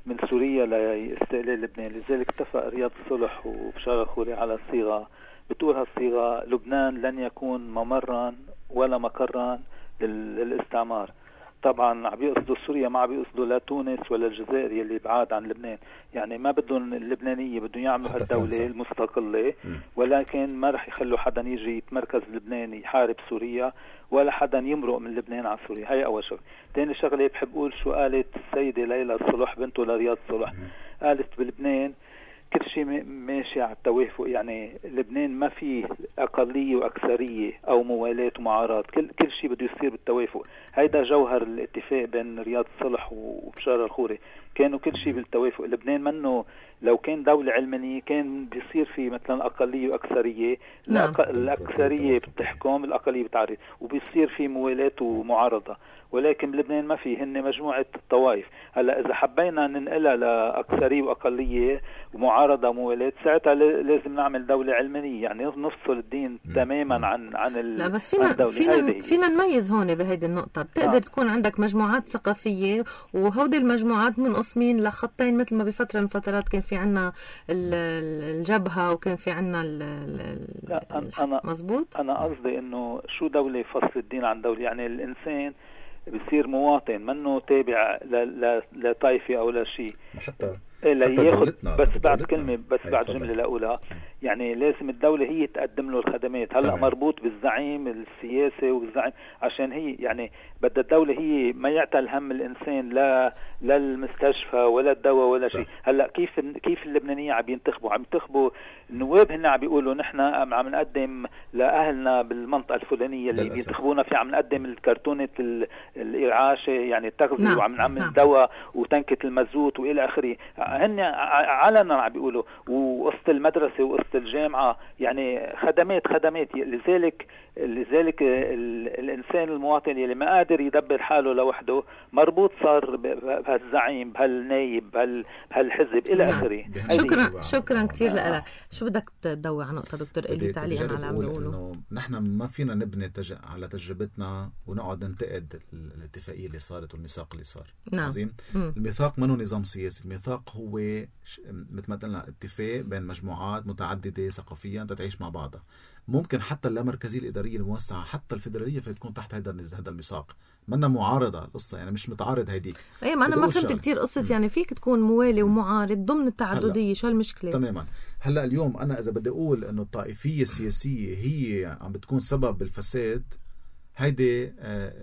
من سوريا لاستقلال لبنان، لذلك اتفق رياض الصلح وبشار الخوري على صيغه بتقول هالصيغه لبنان لن يكون ممرا ولا مقرا للاستعمار. طبعا عم بيقصدوا سوريا، ما عم بيقصدوا لا تونس ولا الجزائر يلي بعاد عن لبنان، يعني ما بدهم اللبنانية، بدهم يعملوا هالدولة المستقلة، ولكن ما رح يخلوا حدا يجي يتمركز لبنان يحارب سوريا ولا حدا يمرق من لبنان على سوريا. هاي أول شغلة. تاني شغلة بحب أقول شو قالت السيدة ليلى الصلح بنته لرياض الصلح. قالت بلبنان كل شيء ماشي على التوافق، يعني لبنان ما في أقلية وأكثرية أو موالات ومعارضات، كل شيء بده يصير بالتوافق. هيدا جوهر الاتفاق بين رياض الصلح وبشار الخوري، كانوا كل شيء بالتوافق. لبنان منه لو كان دولة علمانية كان بيصير في مثلا أقلية وأكثرية. نعم. الأكثرية بتحكم، الأقلية بتعرض، وبيصير في موالات ومعارضة، ولكن بلبنان ما في، هن مجموعة طوائف. هلا إذا حبينا ننقلها لأكثرية وأقلية ومعارضة موالات، ساعتها لازم نعمل دولة علمانية، يعني نفصل الدين تماما عن لا بس فينا نميز هون بهيدي النقطة. بتقدر تكون عندك مجموعات ثقافية وهودي المجموعات منقسمين لخطين، مثل ما بفترة من فترات كان في عنا الجبهة وكان في عنا مزبوط. أنا قصدي إنه شو دولة فصل الدين عن دولة، يعني الإنسان بيصير مواطن منه تابع لطائفة أو لا شيء، حتى ياخد بس بعد كلمة، بس بعد جملة لأقولها. يعني لازم الدولة هي تقدم له الخدمات. هلأ مربوط بالزعيم السياسي والزعيم، عشان هي يعني بدها الدولة هي ما يعتل هم الإنسان لا المستشفى ولا الدواء ولا شيء. هلأ كيف اللبنانية عم ينتخبوا النواب، هن عم بيقولوا نحن عم نقدم لأهلنا بالمنطقة الفلانية اللي بينتخبونا فيها، عم نقدم الكرتونة الإرعاشة يعني التغذية، وعم نعمل دواء وتنكة المازوت وإلى آخره. هن علنا عم بيقولوا، وقصة المدرسة وقصة الجامعة، يعني خدمات. لذلك الإنسان المواطن اللي ما قادر يدبر حاله لوحده مربوط صار بهالزعيم، بهالنايب، بهالحزب إلى آخره. شكرا كتير لك. شو بدك تضوي على نقطة دكتور إلي تعليقا على اللي عم بيقولوا؟ نحن ما فينا نبني على تجربتنا ونقعد ننتقد الاتفاقية اللي صارت والميثاق اللي صار. نعم. عظيم. الميثاق منه نظام سياسي، الميثاق هو مثل ما قلنا اتفاق بين مجموعات متعددة ثقافيا تتعيش مع بعضها. ممكن حتى اللامركزية الإدارية الموسعة حتى الفيدرالية في تكون تحت هذا الميثاق. منا معارضة القصة، يعني مش متعارض هيديك. ايه ما انا ما فهمت كتير قصة يعني فيك تكون موالي ومعارض ضمن التعددية، شو المشكلة؟ تماما. هلا اليوم انا اذا بدي اقول انه الطائفية السياسية هي عم بتكون سبب بالفساد، هيدي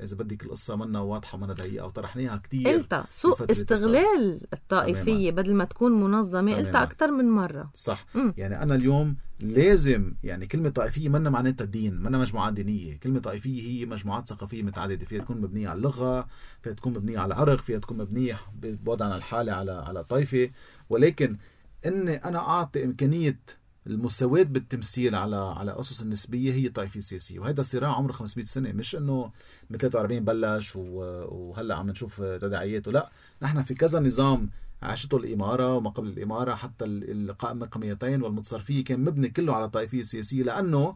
اذا بدك القصة منا واضحة منا دقيقة وطرحناها كتير. قلتها سوء استغلال الطائفية بدل ما تكون منظمة. قلتها أكتر من مرة. صح. يعني أنا اليوم لازم يعني كلمة طائفية منا معناتها الدين، منا مجموعات دينية. كلمة طائفية هي مجموعات ثقافية متعددة، فيها تكون مبنية على اللغة، فيها تكون مبنية على عرق، فيها تكون مبنية بوضعنا الحالي على طائفة. ولكن إن أنا أعطي إمكانية المساواة بالتمثيل على أسس النسبية هي طائفية سياسية. وهذا صراع عمره 500 سنة، مش إنه من 43 بلش وهلأ عم نشوف تداعياته. لا، نحن في كذا نظام عاشته الإمارة وما قبل الإمارة، حتى القائمة القميتين والمتصرفية كان مبني كله على طائفية سياسية، لأنه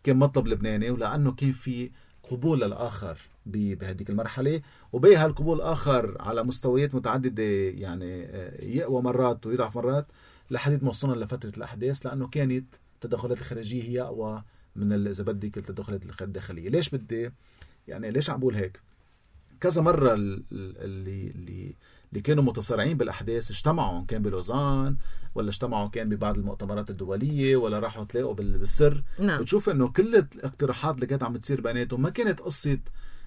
كان مطلب لبناني ولأنه كان في قبول للآخر بهذيك المرحلة، وبيها القبول الآخر على مستويات متعددة، يعني يقوى مرات ويضعف مرات لحديث ما وصلنا لفترة الأحداث، لأنه كانت التدخلات الخارجية هي أقوى من إذا بدك التدخلات الداخلية. ليش بدي يعني ليش عم بقول هيك؟ كذا مرة اللي كانوا متصارعين بالأحداث اجتمعوا، كان بلوزان ولا اجتمعوا كان ببعض المؤتمرات الدولية ولا راحوا تلاقوا بالسر. نعم. بتشوف إنه كل الاقتراحات اللي كانت عم تصير بيناتهم ما كانت قصة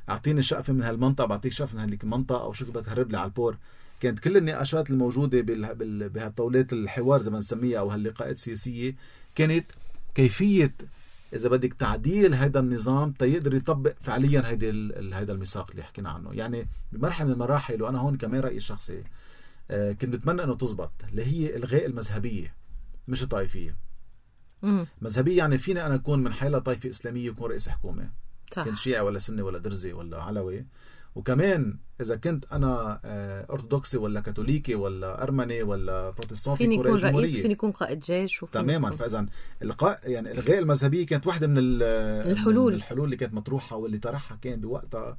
أعطيني شقفة من هالمنطقة بعطيك شقفة من هاليك المنطقة أو شو بدك تهرب لي على البور. كانت كل النقاشات الموجودة بهالطاولات الحوار زي ما نسميها أو هاللقاءات السياسية كانت كيفية إذا بدك تعديل هذا النظام تيقدر يطبق فعليا هذا الميثاق اللي حكينا عنه. يعني بمرحلة من المراحل، وأنا هون كمان رأيي الشخصي كنت بتمنى أنه تزبط، اللي هي إلغاء المذهبية مش الطائفية. مذهبية يعني فينا أنا أكون من حيلة طائفة إسلامية وكون رئيس حكومة، كنت شيعي ولا سني ولا درزي ولا علوي، وكمان إذا كنت أنا أرثوذكسي ولا كاثوليكي ولا أرمني ولا بروتستانت فيني يكون رئيس، فيني يكون قائد جيش تماما. فإذا يعني إلغاء المذهبية كانت واحدة من الحلول اللي كانت مطروحة، واللي طرحها كان بوقتها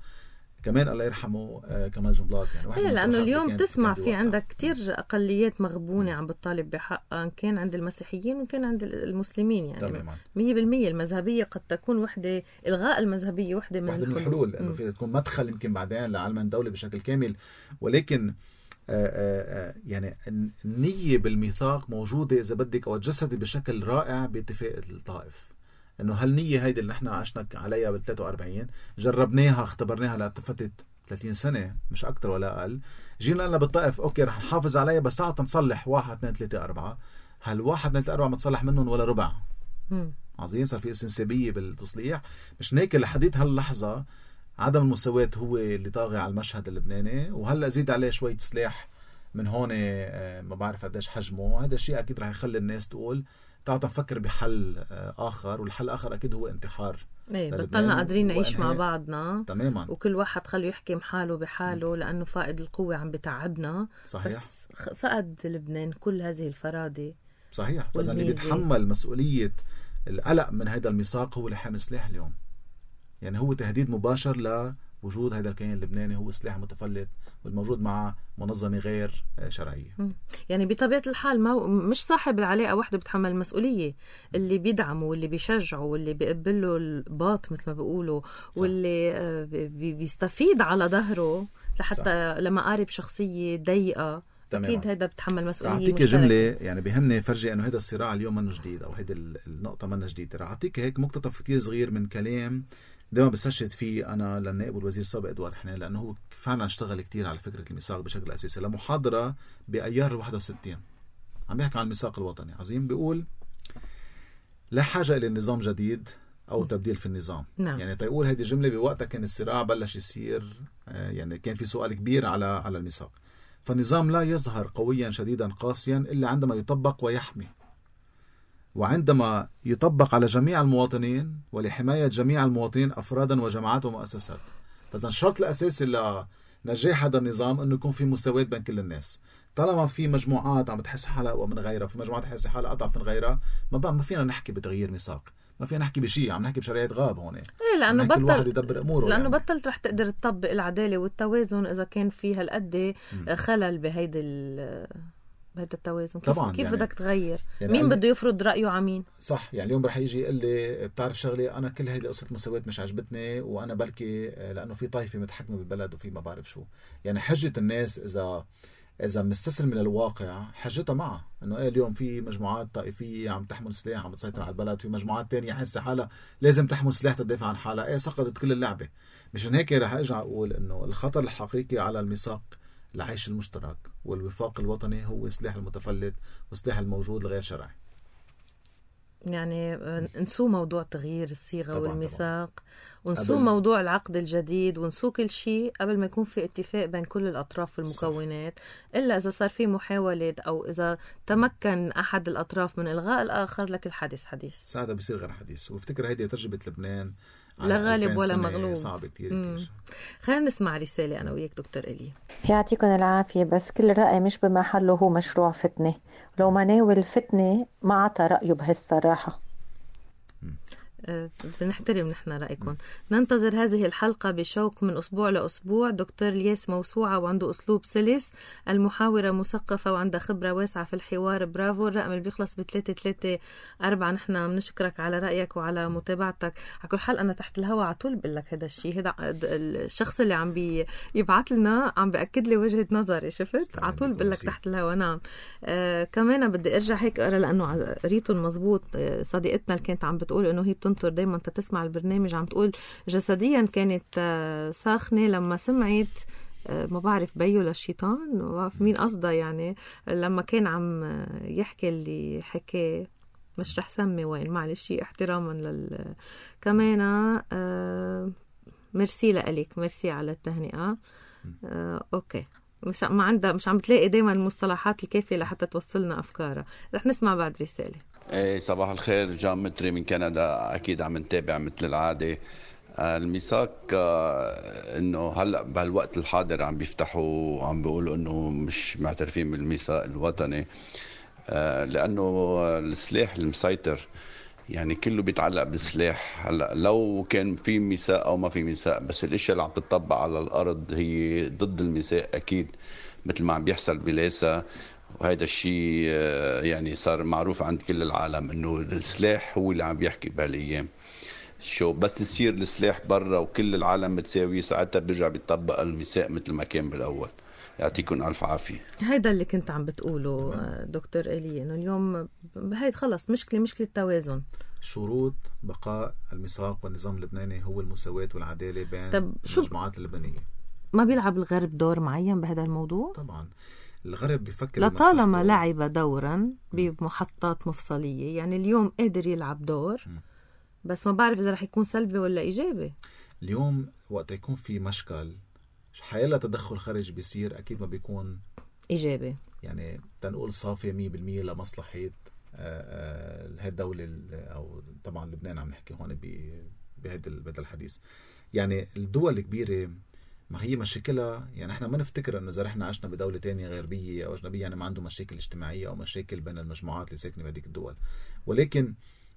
كمان الله يرحمه كمال جنبلاط. يعني لأنه اليوم تسمع في عندك كتير أقليات مغبونة عم بتطالب بحقها، كان عند المسيحيين وكان عند المسلمين. يعني تماما 100% المذهبية قد تكون وحدة، إلغاء المذهبية وحدة من الحلول، لأنه فيها تكون مدخل يمكن بعدين لعلم الدولة بشكل كامل. ولكن يعني النية بالميثاق موجودة إذا بدك أو تجسدي بشكل رائع باتفاق الطائف، انه هالنية هيدي اللي نحن عشنا عليها بال 43 جربناها اختبرناها لفترة 30 سنة مش اكتر ولا اقل. جينا قلنا بالطائف اوكي رح نحافظ عليها بس تعال نصلح 1 2 3 4. هال1 2 3 4 ما تصلح منهم ولا ربع. عظيم، صار في استنسابية بالتصليح. مش هيك لحديت هاللحظة عدم المساواة هو اللي طاغي على المشهد اللبناني، وهلا زيد عليه شوية سلاح من هون ما بعرف قديش حجمه. هذا الشيء اكيد رح يخلي الناس تقول تعال نفكر بحل آخر، والحل الآخر أكيد هو انتحار. بطلنا قادرين نعيش مع بعضنا تماما، وكل واحد خلوا يحكم حاله بحاله لأنه فائد القوة عم بتعبنا. صحيح. بس فقد لبنان كل هذه الفرادة. صحيح. فإذا اللي بيتحمل مسؤولية القلق من هذا الميثاق هو اللي حامل سلاح اليوم. يعني هو تهديد مباشر لوجود هذا الكيان اللبناني، هو سلاح متفلت والموجود مع منظمة غير شرعية. يعني بطبيعة الحال مش صاحب العلاقة وحده بتحمل المسؤولية، اللي بيدعمه واللي بيشجعه واللي بيقبله الباط مثل ما بيقولوا، واللي بيستفيد على ظهره لحتى لما قارب شخصية ضيقة. أكيد هذا بتحمل مسؤولية. أعطيك جملة يعني بيهمني فرجي أنه هذا الصراع اليوم منه جديد، أو هذه النقطة منه جديدة. رح أعطيك هيك مقتطف كتير صغير من كلام دائما بستشهد فيه أنا للنائب والوزير السابق إدوار حنين، لأنه هو فعلا اشتغل كتير على فكرة الميثاق بشكل أساسي. لمحاضرة بأيار 61 عم بيحكي عن الميثاق الوطني. عظيم. بيقول لا حاجة إلى نظام جديد أو تبديل في النظام. نعم. يعني تقول هذه الجملة بوقتها كان الصراع بلش يصير، يعني كان في سؤال كبير على الميثاق. فالنظام لا يظهر قويا شديدا قاسيا إلا عندما يطبق ويحمي، وعندما يطبق على جميع المواطنين ولحماية جميع المواطنين أفرادا وجماعات ومؤسسات. فإذا الشرط الأساسي لنجاح هذا النظام أنه يكون في مساواة بين كل الناس. طالما في مجموعات عم تحس حالها أقوى من غيرها، في مجموعات تحس حالها أضعف من غيرها، ما فينا نحكي بتغيير ميثاق، ما فينا نحكي بشيء، عم نحكي بشريعة غاب هون. لأنه كل واحد يدبر أموره. لأنه يعني بطلت رح تقدر تطبق العدالة والتوازن إذا كان في هالقد خلل بهيدي بهذا التوازن؟ طبعا كيف يعني بدك تغير؟ يعني مين بده يفرض رأيه على مين؟ صح. يعني اليوم رح يجي يقول لي بتعرف شغلة، أنا كل هيدي قصة مساواة مش عجبتني، وأنا بلكي لأنه في طائفة متحكمة بالبلد وفي ما بعرف شو. يعني حجة الناس إذا مستسلم للواقع حجتها معها إنه اليوم في مجموعات طائفية عم تحمل سلاح عم تسيطر على البلد، في مجموعات تانية حاسة حالها لازم تحمل سلاح تدافع عن حالها، سقطت كل اللعبة. مشان هيك رح أرجع أقول إنه الخطر الحقيقي على الميثاق العيش المشترك والوفاق الوطني هو سلاح المتفلت وسلاح الموجود الغير شرعي. يعني نسوا موضوع تغيير الصيغة والميثاق، ونسوا قبل... موضوع العقد الجديد، ونسوا كل شيء قبل ما يكون في اتفاق بين كل الأطراف والمكونات. إلا إذا صار في محاولة أو إذا تمكن أحد الأطراف من إلغاء الآخر لك الحديث حديث، ساعتها بيصير غير حديث. وافتكر هيدي تجربة لبنان لا غالب ولا مغلوب، صعب كتير. خلينا نسمع رسالة أنا وياك دكتور إلي. يعطيكم العافية. بس كل رأي مش بمحله هو مشروع فتنة، لو ما ناول الفتنة ما عطى رأيه بهالصراحة. بنحترم نحن رأيكم. ننتظر هذه الحلقة بشوق من أسبوع لأسبوع. دكتور الياس موسوعة وعنده أسلوب سلس، المحاورة مثقفة وعندها خبرة واسعة في الحوار. برافو. الرقم اللي بيخلص ب334. نحن بنشكرك على رأيك وعلى متابعتك. على كل حال أنا تحت الهواء على طول بقول لك هذا الشيء. هذا الشخص اللي عم بيبعت لنا عم بأكد لي وجهة نظري. شفت على طول بقول لك تحت الهواء. نعم. كمان بدي أرجع هيك أقرأ لأنه قريتهم مزبوط. صديقتنا اللي كانت عم بتقول إنه هي بتنطر دايما تسمع البرنامج، عم تقول جسديا كانت ساخنة لما سمعت ما بعرف بيو للشيطان، ما بعرف مين قصدها، يعني لما كان عم يحكي اللي حكاه. مش رح سمي وين، معلش احتراما كمان. ميرسي لك، ميرسي على التهنئة. اوكي. مش عم بتلاقي دايما المصطلحات الكافية لحتى توصلنا أفكارها. رح نسمع بعد رسالة. صباح الخير، جان متري من كندا. أكيد عم نتابع مثل العادة. الميثاق إنه هلأ بهالوقت الحاضر عم بيفتحوا عم بيقولوا إنه مش معترفين بالميثاق الوطني، لأنه السلاح المسيطر يعني كله بيتعلق بالسلاح. هلا لو كان في ميثاق او ما في ميثاق، بس الاشياء اللي عم تطبق على الارض هي ضد الميثاق اكيد، مثل ما عم بيحصل بلاسا. وهذا الشيء يعني صار معروف عند كل العالم انه السلاح هو اللي عم بيحكي بهالايام. شو بس يصير السلاح برا وكل العالم متساوي، ساعتها بيرجع بيطبق الميثاق مثل ما كان بالاول. يعطيكم ألف عافية. هيدا اللي كنت عم بتقوله دكتور إلي، إنه اليوم هيدا خلص مشكلة التوازن. شروط بقاء الميثاق والنظام اللبناني هو المساواة والعدالة بين المجموعات اللبنانية. ما بيلعب الغرب دور معين بهذا الموضوع؟ طبعا الغرب بيفكر لطالما لعب دورا بمحطات مفصلية، يعني اليوم قادر يلعب دور، بس ما بعرف إذا رح يكون سلبي ولا إيجابي. اليوم وقت يكون في مشكل حيلا تدخل خارجي بيصير أكيد ما بيكون إيجابي، يعني تنقول صافي 100% لمصلحة هاي الدولة أو طبعا لبنان عم نحكي هون بهذا الحديث. يعني الدول الكبيرة ما هي مشاكلها، يعني احنا ما نفتكر انه اذا رحنا عشنا بدولة تانية غربية او اجنبية يعني ما عنده مشاكل اجتماعية او مشاكل بين المجموعات اللي ساكنة بهذيك الدول، ولكن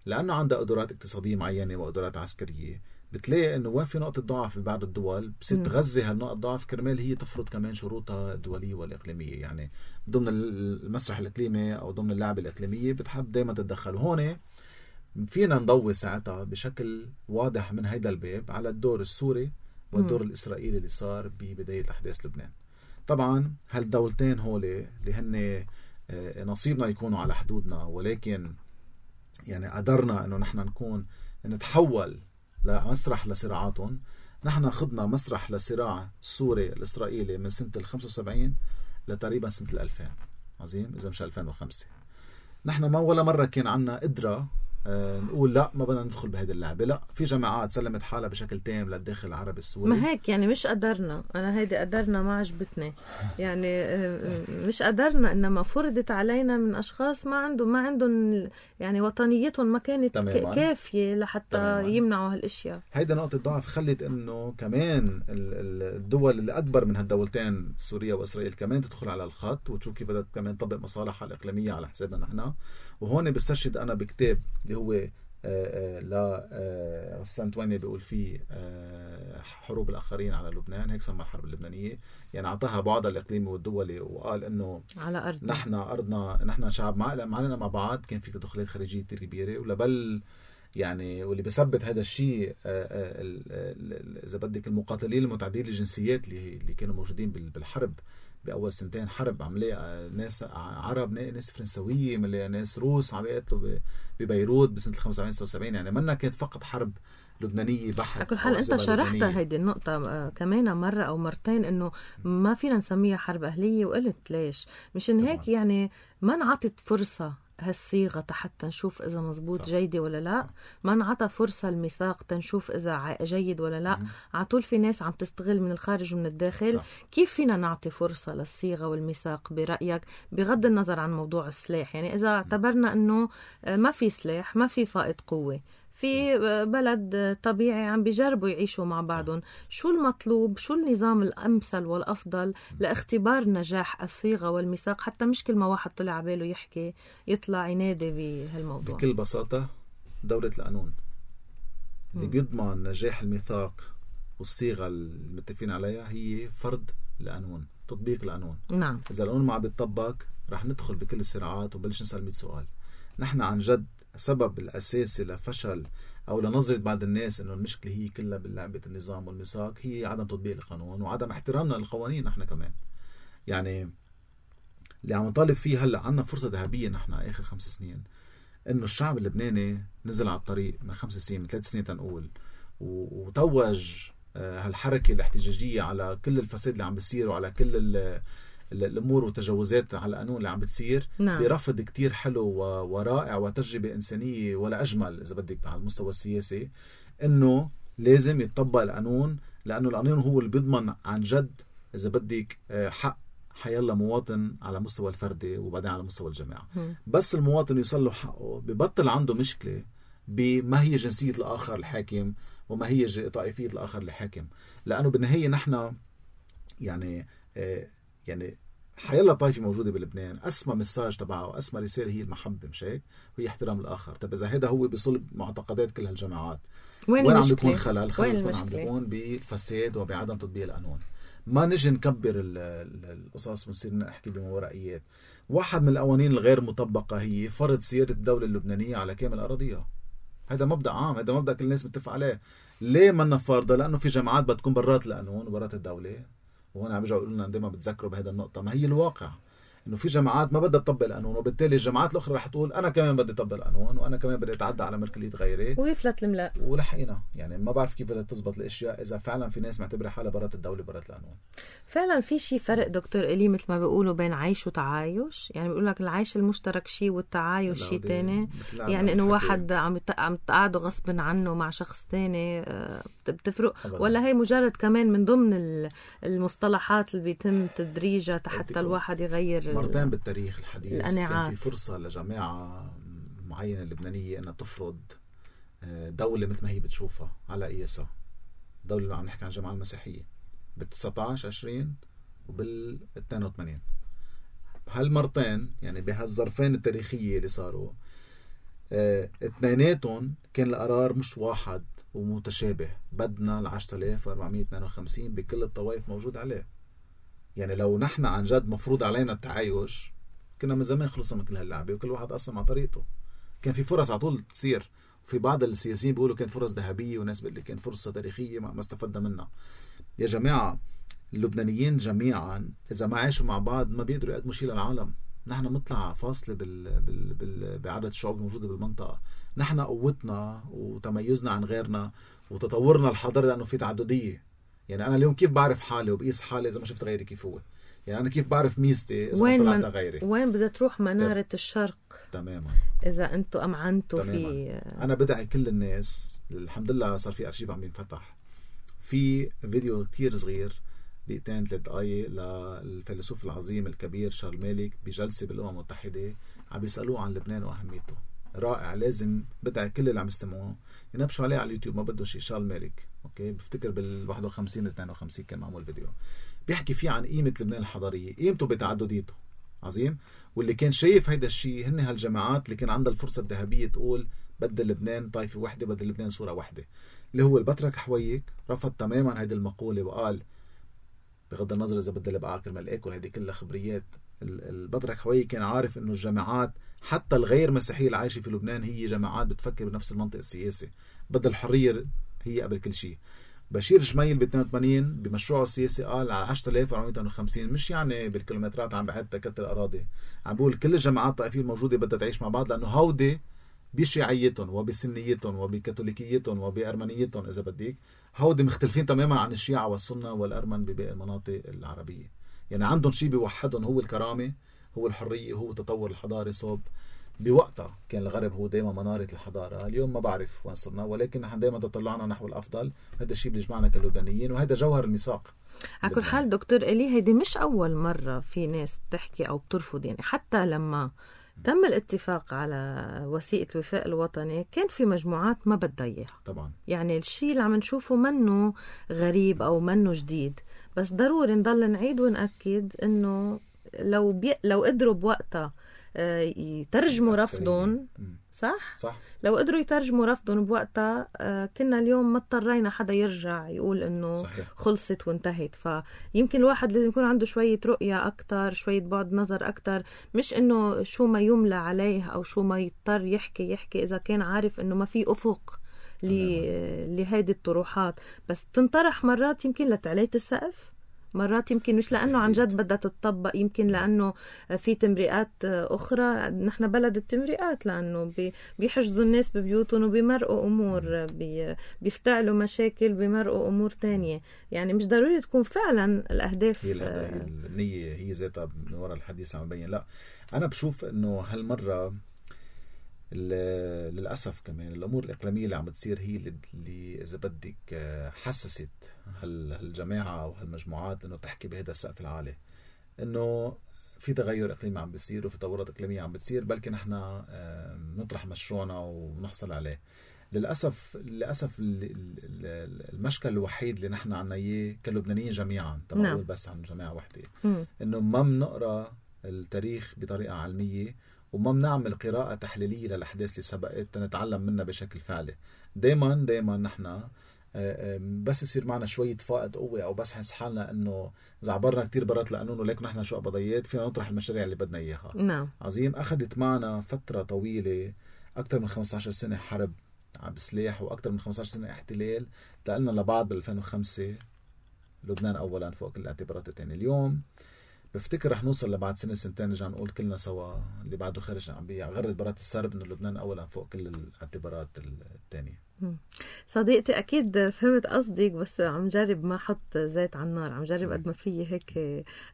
لانه عندها قدرات اقتصادية معينة وقدرات عسكرية بتلاقي انه وين في نقطة ضعف في بعض الدول بصير تغذي هالنقطة ضعف كرمال هي تفرض كمان شروطها الدولية والإقليمية. يعني ضمن المسرح الإقليمي او ضمن اللعبة الإقليمية بتحب دايما تتدخل. وهون فينا نضوي ساعتها بشكل واضح من هيدا الباب على الدور السوري والدور الإسرائيلي اللي صار ببداية أحداث لبنان. طبعا هالدولتين هولي اللي هن نصيبنا يكونوا على حدودنا، ولكن يعني قدرنا انه نحن نكون نتحول لمسرح لصراعاتهم. نحن خضنا مسرح لصراع السوري الإسرائيلي من سنة 75 لتقريبا سنة 2000 عظيم إذا مش 2005. نحن ما ولا مرة كان عنا قدرة نقول لا ما بدنا ندخل بهذه اللعبة. لا، في جماعات سلمت حالها بشكل تام للداخل العربي السوري. ما هيك يعني مش قدرنا، أنا هيدي قدرنا ما عجبتني يعني مش قدرنا، إنما فرضت علينا من أشخاص ما عندهم يعني وطنيتهم ما كانت كافية لحتى تماماً يمنعوا هالاشياء. هيدا نقطة ضعف خلت إنه كمان الدول اللي أكبر من هالدولتين سوريا وإسرائيل كمان تدخل على الخط وتشوف كيف بدها كمان تطبق مصالحها الإقليمية على حسابنا نحن. وهون بستشهد أنا بكتاب اللي هو غسان تواني بيقول فيه حروب الآخرين على لبنان، هيك سمى الحرب اللبنانية. يعني أعطاها بعضها الإقليمي والدولي، وقال إنه على أرضنا، نحن أرضنا، نحن شعب معنا مع بعض. كان في تدخلات خارجية كتير كبيرة، ولبل يعني واللي بيثبت هذا الشيء إذا بدك المقاتلين المتعددين الجنسيات اللي كانوا موجودين بالحرب بأول سنتين حرب. عملية ناس عرب، ناس فرنسوية، ناس روس عم يقتلوا ببيروت بسنة 75-76. يعني منا كانت فقط حرب لبنانية بحت. على كل حال أنت شرحتها هيدي النقطة كمان مرة أو مرتين، إنه ما فينا نسميها حرب أهلية، وقلت ليش. مشان هيك يعني ما نعطت فرصة هالصيغة حتى نشوف إذا مزبوط جيدة ولا لا. ما نعطى فرصة الميثاق تنشوف إذا جيد ولا لا. عطول في ناس عم تستغل من الخارج ومن الداخل. صح. كيف فينا نعطي فرصة للصيغة والميثاق برأيك، بغض النظر عن موضوع السلاح؟ يعني إذا اعتبرنا أنه ما في سلاح، ما في فائض قوة، في بلد طبيعي عم بيجربوا يعيشوا مع بعضهم، شو المطلوب، شو النظام الأمثل والأفضل لاختبار نجاح الصيغة والميثاق، حتى مش كل ما واحد طلع عباله يحكي يطلع ينادي بهالموضوع؟ بكل بساطة دولة القانون اللي بيضمن نجاح الميثاق والصيغة المتفقين عليها هي فرض القانون، تطبيق القانون. نعم. إذا القانون ما عم بيتطبق رح ندخل بكل الصراعات وبلش نسأل 100 سؤال. نحن عن جد السبب الأساسي لفشل أو لنظرة بعض الناس إنه المشكلة هي كلها بلعبة النظام والميثاق هي عدم تطبيق القانون وعدم احترامنا للقوانين. نحن كمان يعني اللي عم نطالب فيه هلأ، عنا فرصة ذهبية نحن آخر 5 سنين إنه الشعب اللبناني نزل على الطريق من 5 سنين، من 3 سنين تنقول، وتوج هالحركة الاحتجاجية على كل الفساد اللي عم بيصير وعلى كل الأمور والتجاوزات على القانون اللي عم بتصير. نعم. برفض كتير حلو ورائع وتجربة إنسانية ولا أجمل إذا بدك على المستوى السياسي، إنه لازم يتطبق القانون، لأنه القانون هو اللي بيضمن عن جد إذا بدك حق حيلا مواطن على مستوى الفردي وبعدين على مستوى الجماعة. بس المواطن يوصل له حقه ببطل عنده مشكلة بما هي جنسية الآخر الحاكم وما هي طائفية الآخر الحاكم. لأنه بالنهاية نحن يعني حيلا طائفة موجودة بلبنان أسمى مساج تبعه وأسمى رسالة هي المحبة، مش هيك؟ وهي احترام الآخر. طب إذا هذا هو بصلب معتقدات كل هالجماعات، وين عم بيكون خلل عم بيكون بالفساد وبعدم تطبيق القانون. ما نجي نكبر القصص ونصير نحكي بمورائيات. واحد من القوانين الغير مطبقة هي فرض سيادة الدولة اللبنانية على كامل أراضيها. هذا مبدأ عام، هذا مبدأ كل الناس متفق عليه. ليه منا فرضة؟ لأنه في جماعات بتكون برات القانون وبرات الدولة. وهون عم بيجوا يقولوا لنا دائما بتذكروا بهذا النقطة، ما هي الواقع انه في جماعات ما بدها تطبق القانون، وبالتالي الجماعات الاخرى رح تقول انا كمان بدي اطبق القانون وانا كمان بدي اتعدى على ملكية غيري، ويفلت الملاء ولحقنا. يعني ما بعرف كيف بدها تزبط الاشياء اذا فعلا في ناس معتبره حالها برات الدوله برات القانون. فعلا في شيء فرق دكتور إلي مثل ما بيقولوا بين عيش وتعايش. يعني بيقول لك العيش المشترك شيء والتعايش شيء تاني. يعني انه واحد عم تقعدوا غصب عنه مع شخص تاني بتفرق أبداً. ولا هي مجرد كمان من ضمن المصطلحات اللي بيتم تدريجها حتى الواحد يغير مرتين بالتاريخ الحديث كان في فرصة لجماعة معينة لبنانية أنها تفرض دولة مثل ما هي بتشوفها على قياسها. دولة اللي عم نحكي عن الجماعة المسيحية بال19 20 وبال82. بهالمرتين يعني بهالظرفين التاريخية اللي صاروا اثنيناتهم كان القرار مش واحد ومتشابه. بدنا 10452 بكل الطوائف موجود عليه. يعني لو نحن عن جد مفروض علينا التعايش كنا من زمان خلصنا من كل هاللعبة وكل واحد أصلا مع طريقته. كان في فرص على طول تصير، وفي بعض السياسيين بيقولوا كان فرص ذهبية وناس بيقول كان فرصة تاريخية ما استفدنا منها. يا جماعة اللبنانيين جميعا إذا ما عاشوا مع بعض ما بيقدروا يقدموا شيء للعالم. نحن مطلع فاصلة بعدد الشعوب الموجودة بالمنطقة. نحن قوتنا وتميزنا عن غيرنا وتطورنا الحضاري لأنه في تعددية. يعني أنا اليوم كيف بعرف حالي وبقيس حالي إذا ما شفت غيري كيف هو؟ يعني أنا كيف بعرف ميزتي إذا ما طلعت غيري؟ وين بدها تروح منارة الشرق تماما إذا أنتوا أمعنتوا في. أنا بدعي كل الناس، الحمد لله صار في أرشيف عم بينفتح، في فيديو كتير صغير 2-3 دقايق للفيلسوف العظيم الكبير شارل مالك بجلسة بالأمم المتحدة عم بيسألوه عن لبنان وأهميته. رائع، لازم بدعي كل اللي عم يسمعوه ينبشوا عليه على اليوتيوب. ما بده شيء شارل مالك، أوكي، بفتكر بال51 52 كان معمول فيديو بيحكي فيه عن قيمة لبنان الحضارية، قيمته بتعدديته. عظيم. واللي كان شايف هيدا الشيء هن هالجماعات اللي كان عندها الفرصة الذهبية تقول بدل لبنان طائفة وحدة، بدل لبنان صورة واحدة، اللي هو البطرك حويك رفض تماما هيدي المقولة وقال بغض النظر إذا بدل بقى كرمال آكل، هيدي كلها خبريات. البطرك حويك كان عارف إنه الجماعات حتى الغير مسيحية العايشة في لبنان هي جماعات بتفكر بنفس المنطق السياسي، بدل الحرية هي قبل كل شيء. بشير جميل ب 82 بمشروعه السياسي قال على 10450 مش يعني بالكيلومترات عم بعد تكتل الأراضي، عم بقول كل الجماعات الطائفية الموجودة بدها تعيش مع بعض، لأنه هودي بشيعيتهم وبسنيتهم وبكاثوليكيتهم وبأرمنيتهم إذا بديك هودي مختلفين تماما عن الشيعة والسنة والأرمن بباقي المناطق العربية. يعني عندهم شيء بيوحدهم، هو الكرامة، هو الحرية، هو التطور الحضاري. صوب بوقتها كان الغرب هو دايما منارة الحضارة، اليوم ما بعرف وين صرنا، ولكن نحن دايما تطلعنا نحو الأفضل. هذا الشيء بيجمعنا كلبنانيين، وهذا جوهر الميثاق. على كل حال دكتور إلي، هيدي مش أول مرة في ناس تحكي أو بترفض. يعني حتى لما تم الاتفاق على وثيقة الوفاق الوطني كان في مجموعات ما بدها إياها طبعا. يعني الشيء اللي عم نشوفه منه غريب أو منه جديد، بس ضروري نضل نعيد ونأكد إنه لو قدروا بوقتها يترجموا رفضهم صح؟ لو قدروا يترجموا رفضهم بوقتها كنا اليوم ما اضطرينا حدا يرجع يقول انه صحيح. خلصت وانتهت. فيمكن الواحد لازم يكون عنده شوية رؤية اكتر، شوية بعد نظر اكتر، مش انه شو ما يملى عليه او شو ما يضطر يحكي اذا كان عارف انه ما في افق لهيدي الطروحات. بس تنطرح مرات يمكن لتعلية السقف، مرات يمكن مش لأنه عن جد بدها تتطبق، يمكن لأنه في تمريقات أخرى. نحن بلد التمريقات، لأنه بيحجزوا الناس ببيوتهم وبيمرقوا أمور، بيفتعلوا مشاكل، بيمرقوا أمور تانية. يعني مش ضروري تكون فعلا الأهداف هي النية هي ذاتها من وراء الحديث عم بين. لا، أنا بشوف أنه هالمرة للأسف كمان الأمور الإقليمية اللي عم بتصير هي اللي إذا بدك حسست هالجماعة أو هالمجموعات إنه تحكي بهذا السقف العالي، إنه في تغير إقليمي عم بيصير وفي تطورات إقليمية عم بتصير، بلكن نحن نطرح مشروعنا ونحصل عليه. للأسف المشكل الوحيد اللي نحن عنا إياه كلبنانيين جميعا، طبعا بس عن جماعة واحدة، إنه ما بنقرأ التاريخ بطريقة علمية وما بنعمل قراءة تحليلية للأحداث اللي سبقت تنتعلم منها بشكل فعلي. دايما نحن بس يصير معنا شوية فائض قوة أو بس حنس حالنا إنه إذا عبرنا كتير برات القانون ولكن نحن شو قبضيات فينا نطرح المشاريع اللي بدنا إياها. نعم. عظيم. أخذت معنا فترة طويلة، أكتر من 15 سنة حرب بسلاح وأكتر من 15 سنة احتلال، تقلنا لبعض بال2005 لبنان أولا فوق كل الاعتبارات التانية. اليوم بفتكر رح نوصل لبعد سنتين نرجع نقول كلنا سوا اللي بعده خارج عم بيغرد برات السرب انه لبنان اولا فوق كل الاعتبارات الثانيه. صديقتي اكيد فهمت قصدك، بس عم جرب ما احط زيت على النار، عم جرب قد ما فيي هيك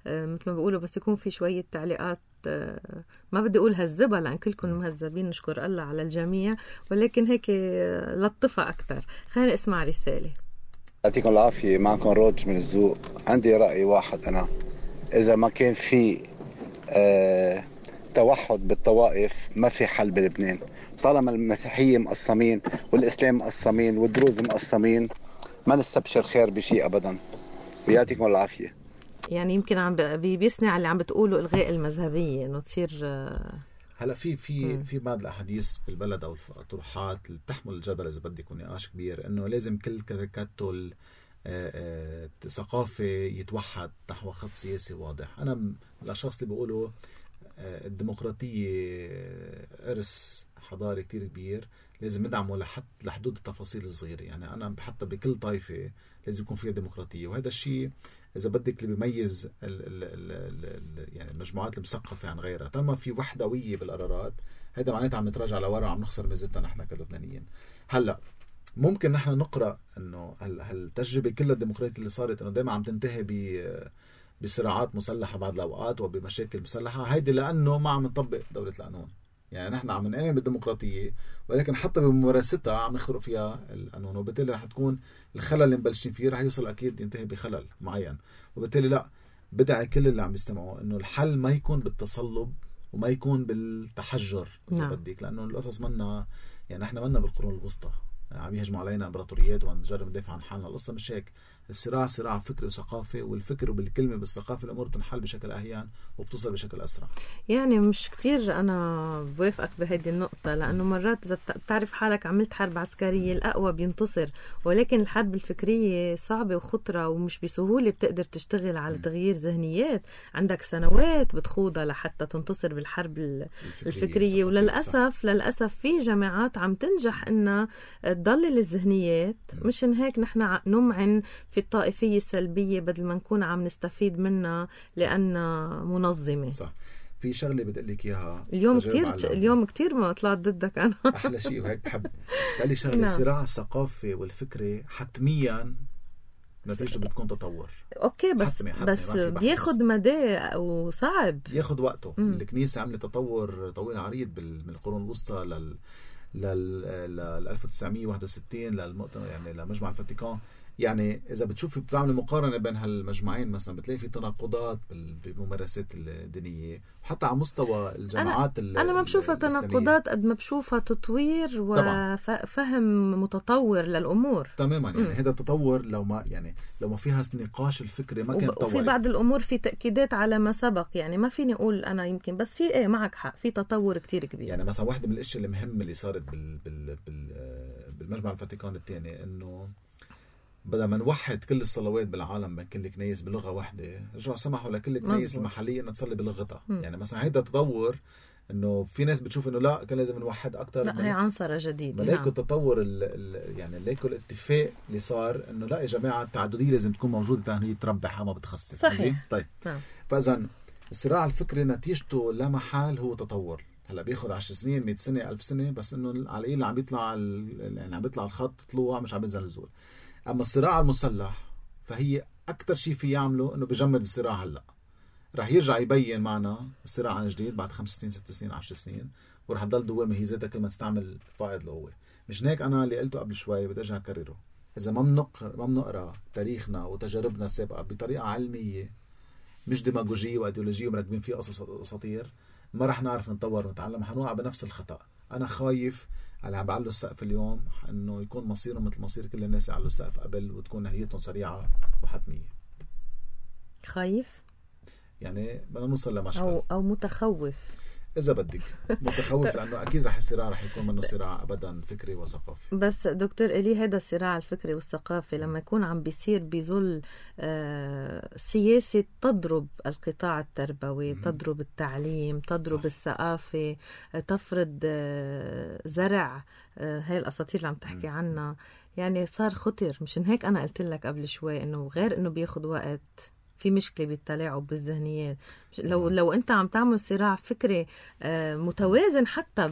مثل ما بيقولوا، بس يكون في شويه تعليقات ما بدي اقول هذبها لان كلكم مهذبين نشكر الله على الجميع، ولكن هيك لطفها اكثر. خلينا نسمع رساله. يعطيكم العافيه، معكم روج من الزوق. عندي راي واحد، انا إذا ما كان في توحد بالطوائف ما في حل بلبنان. طالما المسيحية مقسمين والإسلام مقسمين والدروز مقسمين ما نستبشر خير بشيء أبدا. ويعطيكم العافية. يعني يمكن عم بيصنع اللي عم بتقوله إلغاء المذهبية، إنه تصير هلا في بعض الأحاديث بالبلد أو الطروحات اللي بتحمل الجدل إذا بدك ونقاش كبير، إنه لازم كل تكتل ثقافة يتوحد نحو خط سياسي واضح. أنا من الأشخاص اللي بيقولوا الديمقراطية إرث حضاري كتير كبير، لازم ندعمه لحدود التفاصيل الصغيرة. يعني أنا حتى بكل طائفة لازم يكون فيها ديمقراطية، وهذا الشيء إذا بدك اللي بيميز يعني المجموعات المثقفة عن غيرها. طالما في وحدوية بالقرارات هذا معناته عم نتراجع لورا وعم نخسر ميزتنا نحن كلبنانيين. هلا ممكن نحن نقرأ انه هالتجربة كلها الديمقراطية اللي صارت انه دائما عم تنتهي بصراعات مسلحة بعض الاوقات وبمشاكل مسلحة، هيدي لانه ما عم نطبق دولة القانون. يعني نحن عم نآمن بالديمقراطية ولكن حتى بممارستها عم نخرق فيها القانون، وبالتالي رح تكون الخلل اللي مبلشين فيه رح يوصل اكيد ينتهي بخلل معين. وبالتالي لا، بدعي كل اللي عم يستمعوا انه الحل ما يكون بالتصلب وما يكون بالتحجر اذا بدك، لانه القصص منا يعني احنا منا بالقرون الوسطى، عم يهجموا علينا امبراطوريات وعم نجرب ندافع عن حالنا. القصة مش هيك. الصراع صراع فكري وثقافي، والفكر وبالكلمة بالثقافة الأمور بتنحل بشكل أهيان وبتوصل بشكل أسرع. يعني مش كتير أنا بوافقك بهذه النقطة، لأنه مرات إذا بتعرف حالك عملت حرب عسكرية الأقوى بينتصر، ولكن الحرب الفكرية صعبة وخطرة ومش بسهولة بتقدر تشتغل على تغيير ذهنيات. عندك سنوات بتخوضها لحتى تنتصر بالحرب الفكرية. وللأسف في جامعات عم تنجح إنها تضلل الذهنيات. مشان هيك نحن نمعن في الطائفية السلبية بدل ما نكون عم نستفيد منها لأنها منظمة. صح. في شغلة بدي لك إياها اليوم كتير ما طلعت ضدك أنا. أحلى شيء وهيك بحب تقلي شغلة. الصراع الثقافي والفكري حتميا نتيجته بتكون تطور. أوكي بس بياخد مدى وصعب، ياخد وقته. الكنيسة عملت تطور طويل عريض من القرون الوسطى لل 1961 للمؤتمر، يعني لمجمع الفاتيكان. يعني إذا بتشوفي بتعمل مقارنة بين هالمجمعين مثلا بتلاقي في تناقضات بالممارسات الدينية، وحتى على مستوى الجامعات. أنا ما بشوفها تناقضات قد ما بشوفها تطوير وفهم متطور للأمور. تماما. يعني هذا التطور لو ما فيها نقاش الفكري ما كان تطور. وفي بعض الأمور في تأكيدات على ما سبق، يعني ما فيني أقول أنا يمكن، بس في معك حق، في تطور كتير كبير. يعني مثلا واحدة من الأشياء المهمة اللي صارت بالمجمع الفاتيكان الثاني إنه بدل ما نوحد كل الصلوات بالعالم بين كل كنيس بلغة واحدة، رجعوا سمحوا لكل الكنيس المحلية أن تصلي بلغتها. يعني مثلا هيدا تطور. إنه في ناس بتشوف إنه لا كان لازم نوحد أكتر. لا، هي عنصرة جديدة. ملاكو التطور يعني ملاكو الاتفاق اللي صار إنه لا يا جماعة التعددية لازم تكون موجودة تاني تربحها ما بتخصص. صحيح. طيب. فإذا الصراع الفكري نتيجته لا محال هو تطور. هلا بياخد 10 سنين 100 سنة 1000 سنة، بس إنه على القليل عم بيطلع يعني عم بيطلع الخط طلوع مش عم بينزل الزول. أما الصراع المسلح فهي أكتر شيء في يعمله إنه بجمد الصراع. هلأ رح يرجع يبين معنا الصراع عن جديد بعد 5 سنين 6 سنين 10 سنين، ورح تضل دوامة هي ذاتها كل ما تستعمل فائض القوة. مش هيك أنا اللي قلته قبل شوي بدي أرجع أكرره. إذا ما بنقرأ تاريخنا وتجاربنا السابقة بطريقة علمية مش ديماغوجية وأيديولوجية ومركبين فيه قصص أساطير، ما رح نعرف نتطور ونتعلم، حنوقع بنفس الخطأ. أنا خايف على عم بعلوا السقف اليوم إنه يكون مصيرهم مثل مصير كل الناس اللي علوا السقف قبل، وتكون نهايتهم سريعة وحتمية. خايف يعني بدنا نوصل لمشكل أو متخوف إذا بدك. متخوف لأنه أكيد رح الصراع رح يكون منه صراع أبدا فكري وثقافي. بس دكتور إلي، هذا الصراع الفكري والثقافي لما يكون عم بيصير بظل سياسة تضرب القطاع التربوي، تضرب التعليم، تضرب الثقافة، تفرض زرع هاي الأساطير اللي عم تحكي عنها، يعني صار خطر. مشان هيك أنا قلت لك قبل شوي إنه غير إنه بياخد وقت، في مشكلة بالتلاعب بالذهنيات. لو أنت عم تعمل صراع فكري متوازن حتى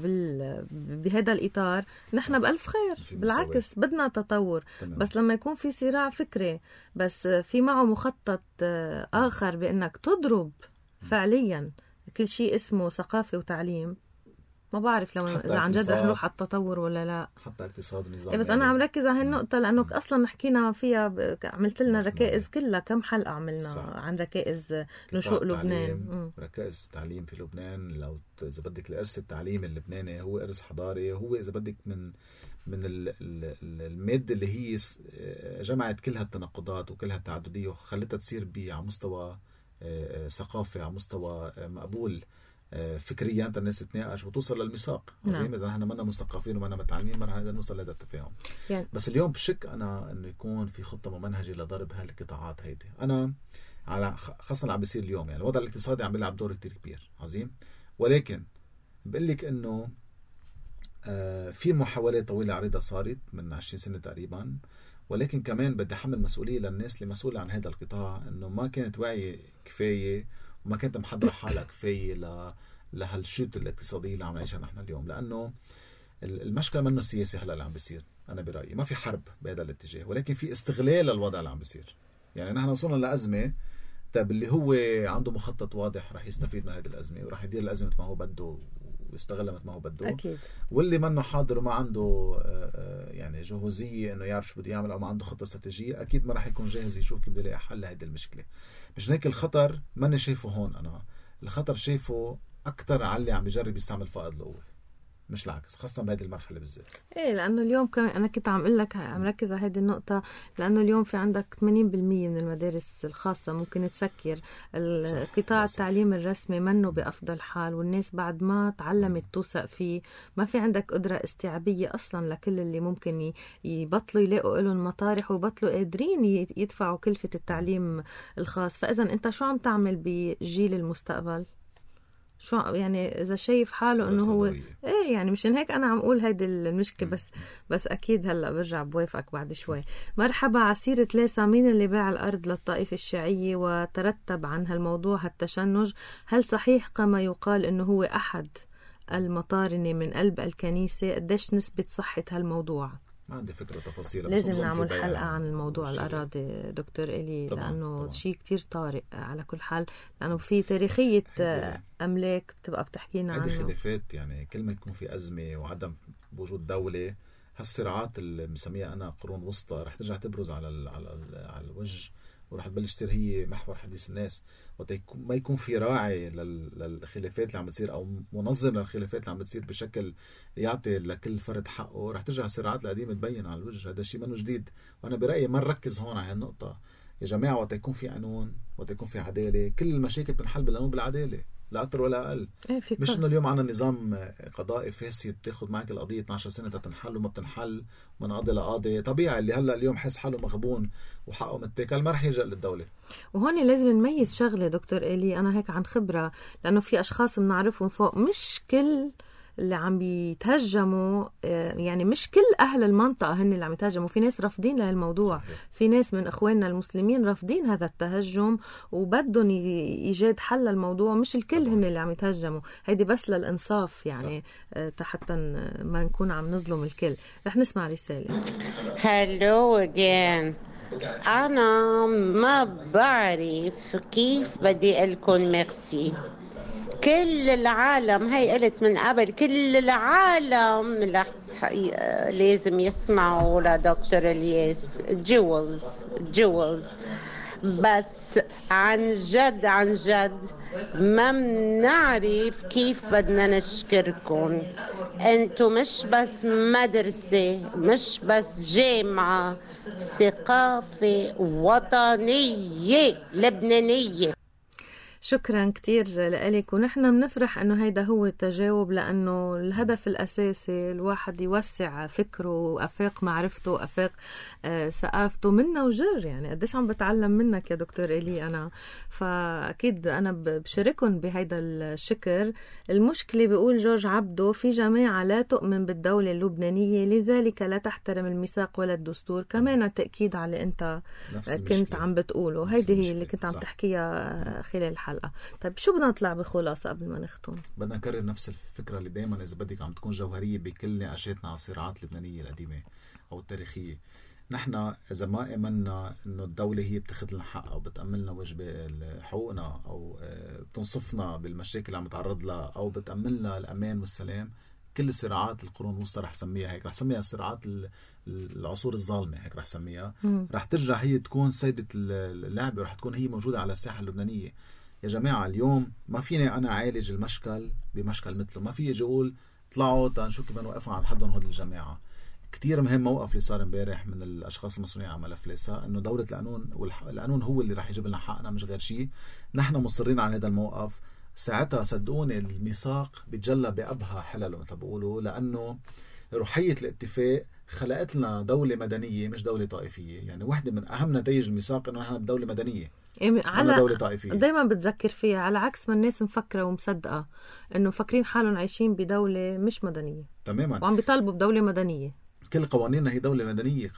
بهذا الإطار، نحن بألف خير. بالعكس بدنا تطور. بس لما يكون في صراع فكري بس في معه مخطط آخر بأنك تضرب فعليا كل شيء اسمه ثقافة وتعليم، ما بعرف لو إذا عن جد رح نروح على التطور ولا لا. حتى اقتصاد ونظام. بس أنا عم ركز على هالنقطة لأنه أصلا حكينا فيها، عملت لنا ركائز كلها، كم حلقة عملنا عن ركائز نشوء لبنان. ركائز تعليم في لبنان. لو إذا بدك الإرث التعليمي اللبناني هو إرث حضاري، هو إذا بدك من المادة اللي هي جمعت كل هالتناقضات وكل هالتعددية وخلتها تصير على مستوى ثقافي، على مستوى مقبول فكريا، انت الناس تتناقش وتوصل للميثاق. زي ما اذا نحن منا مثقفين ومنا متعلمين ما رح نقدر نوصل لهذا التفاهم. يعني. بس اليوم بشك انا انه يكون في خطه ممنهجه لضرب هالقطاعات هيدي. انا على خاصه عم بيصير اليوم، يعني الوضع الاقتصادي عم بيلعب دور كتير كبير عظيم، ولكن بقول لك انه في محاولات طويله عريضه صارت من 20 سنه تقريبا، ولكن كمان بدي احمل مسؤوليه للناس اللي مسؤوله عن هذا القطاع، انه ما كانت واعيه كفايه وما كانت محضرة حالها كفاية لهالشوط الاقتصادي اللي عم نعيشها نحن اليوم. لأنه المشكلة منه السياسي هلا اللي عم بيصير. أنا برأيي ما في حرب بهذا الاتجاه، ولكن في استغلال للوضع اللي عم بيصير. يعني نحن وصلنا لأزمة، طيب اللي هو عنده مخطط واضح رح يستفيد من هذه الأزمة ورح يدير الأزمة مثل ما هو بده ويستغلها مثل ما هو بده. أكيد. واللي منه حاضر وما عنده يعني جهوزية إنه يعرف شو بده يعمل أو ما عنده خطة استراتيجية، أكيد ما رح يكون جاهز يشوف كيف بده يلاقي حل لهذه المشكلة. مش هيك الخطر ماني شايفه هون. أنا الخطر شايفه أكتر على اللي عم بيجرب يستعمل فائض القوة. مش العكس، خاصة بهذه المرحلة بالذات. ايه لانه اليوم كمان انا كنت عم اقول لك عم ركز على هذه النقطة، لانه اليوم في عندك 80% من المدارس الخاصة ممكن تسكر. قطاع التعليم الرسمي منه بأفضل حال، والناس بعد ما تعلمت توثق فيه ما في عندك قدرة استيعابية اصلا لكل اللي ممكن يبطلوا يلاقوا لهم مطارح ويبطلوا قادرين يدفعوا كلفة التعليم الخاص. فاذا انت شو عم تعمل بجيل المستقبل؟ شو يعني اذا شايف حاله انه هو ايه يعني مشان هيك انا عم اقول هيدي المشكله. بس اكيد هلا برجع بوافقك بعد شوي. مرحبا. عسيرة ليسا، مين اللي باع الارض للطائفه الشيعيه وترتب عن هالموضوع هالتشنج؟ هل صحيح كما يقال انه هو احد المطارنه من قلب الكنيسه؟ قديش نسبه صحه هالموضوع؟ ما عندي فكرة تفاصيل. لازم نعمل حلقة عن الموضوع الأراضي دكتور إلي، لأنه شيء كتير طارئ على كل حال، لأنه في تاريخية أملاك بتبقى بتحكينا عنه. هذه خلافات يعني كل ما يكون في أزمة وعدم وجود دولة، هالصراعات اللي مسميها أنا قرون وسطى رح ترجع تبرز على الوجه، ورح تبلش تصير هي محور حديث الناس. ما يكون في راعي للخلافات اللي عم بتصير او منظم للخلافات اللي عم بتصير بشكل يعطي لكل فرد حقه، رح ترجع الصراعات القديمه تبين على الوجه. هذا الشيء منه جديد، وانا برايي ما نركز هون على هالنقطه يا جماعه. وقت يكون في قانون، وقت يكون في عداله، كل المشاكل بتنحل بالقانون بالعداله، لا أكتر ولا أقل. مش إنه اليوم عنا نظام قضائي فاسد بتاخد معك القضية 12 سنة تتنحل وما بتنحل من قاضي لقاضي. طبيعي اللي هلأ اليوم حس حاله مغبون وحقه متاكل ما رح يلجأ للدولة. وهون لازم نميز شغلة دكتور إلي، أنا هيك عن خبرة، لأنه في أشخاص بنعرفهم فوق، مش كل اللي عم بيتهجموا، يعني مش كل أهل المنطقة هن اللي عم يتهجموا، في ناس رافضين لهالموضوع. صحيح. في ناس من إخواننا المسلمين رافضين هذا التهجم وبدهم إيجاد حل للموضوع، مش الكل هن اللي عم يتهجموا. هيدي بس للإنصاف يعني، حتى ما نكون عم نظلم الكل. رح نسمع رسالة. هلو again. أنا ما بعرف كيف بدي أقول ميرسي. كل العالم، هي قلت من قبل، كل العالم لازم يسمعوا لدكتور الياس. جوز بس عن جد ما بنعرف كيف بدنا نشكركم. انتو مش بس مدرسة، مش بس جامعة، ثقافة وطنية لبنانية. شكرا كتير لك، ونحن بنفرح انه هيدا هو التجاوب، لانه الهدف الاساسي الواحد يوسع فكره وافاق معرفته وافاق ثقافته منا وجر. يعني قديش عم بتعلم منك يا دكتور إلي انا، فاكيد انا بشاركهم بهيدا الشكر. المشكله بيقول جورج عبدو، في جماعه لا تؤمن بالدوله اللبنانيه لذلك لا تحترم الميثاق ولا الدستور. كمان تاكيد على اللي انت كنت عم بتقوله، هيدي هي اللي كنت عم تحكيها خلال الحلقة. طيب شو بدنا نطلع بخلاصة قبل ما نختم؟ بدنا نكرر نفس الفكرة اللي دايما إذا بدك عم تكون جوهرية بكل نقاشاتنا على الصراعات اللبنانية القديمة أو التاريخية. نحن إذا ما آمنا إنه الدولة هي بتاخذ لنا حق أو بتأملنا وجبة حقوقنا أو بتنصفنا بالمشاكل اللي عم نتعرض لها أو بتأملنا الأمان والسلام، كل صراعات القرون الوسطى رح سميها هيك، رح سميها صراعات العصور الظالمة، هيك رح سميها. رح ترجع هي تكون سيدة اللعبة ورح تكون هي موجودة على الساحة اللبنانية. يا جماعة اليوم ما فيني أنا عالج المشكل بمشكل مثله، ما في يجي أقول طلعوا تنشوف كيف نوقفوا عند حدهم هود الجماعة. كتير مهم موقف اللي صار امبارح من الأشخاص المسؤولين عن ملف ليسا، إنه دولة القانون والقانون هو اللي رح يجيب لنا حقنا مش غير شيء. نحن مصرين على هذا الموقف. ساعتها صدقوني الميثاق بيتجلى بأبهى حلله مثل بقولوا، لأنه روحية الاتفاق خلقت لنا دولة مدنية مش دولة طائفية. يعني واحدة من أهم نتائج الميثاق إنه نحن بدولة مدنية على دولة طائفية. دايما بتذكر فيها، على عكس ما الناس مفكرة ومصدقة إنه مفكرين حالهم عايشين بدولة مش مدنية تماما، وعم بيطالبوا بدولة مدنية. كل قوانيننا هي دولة مدنية،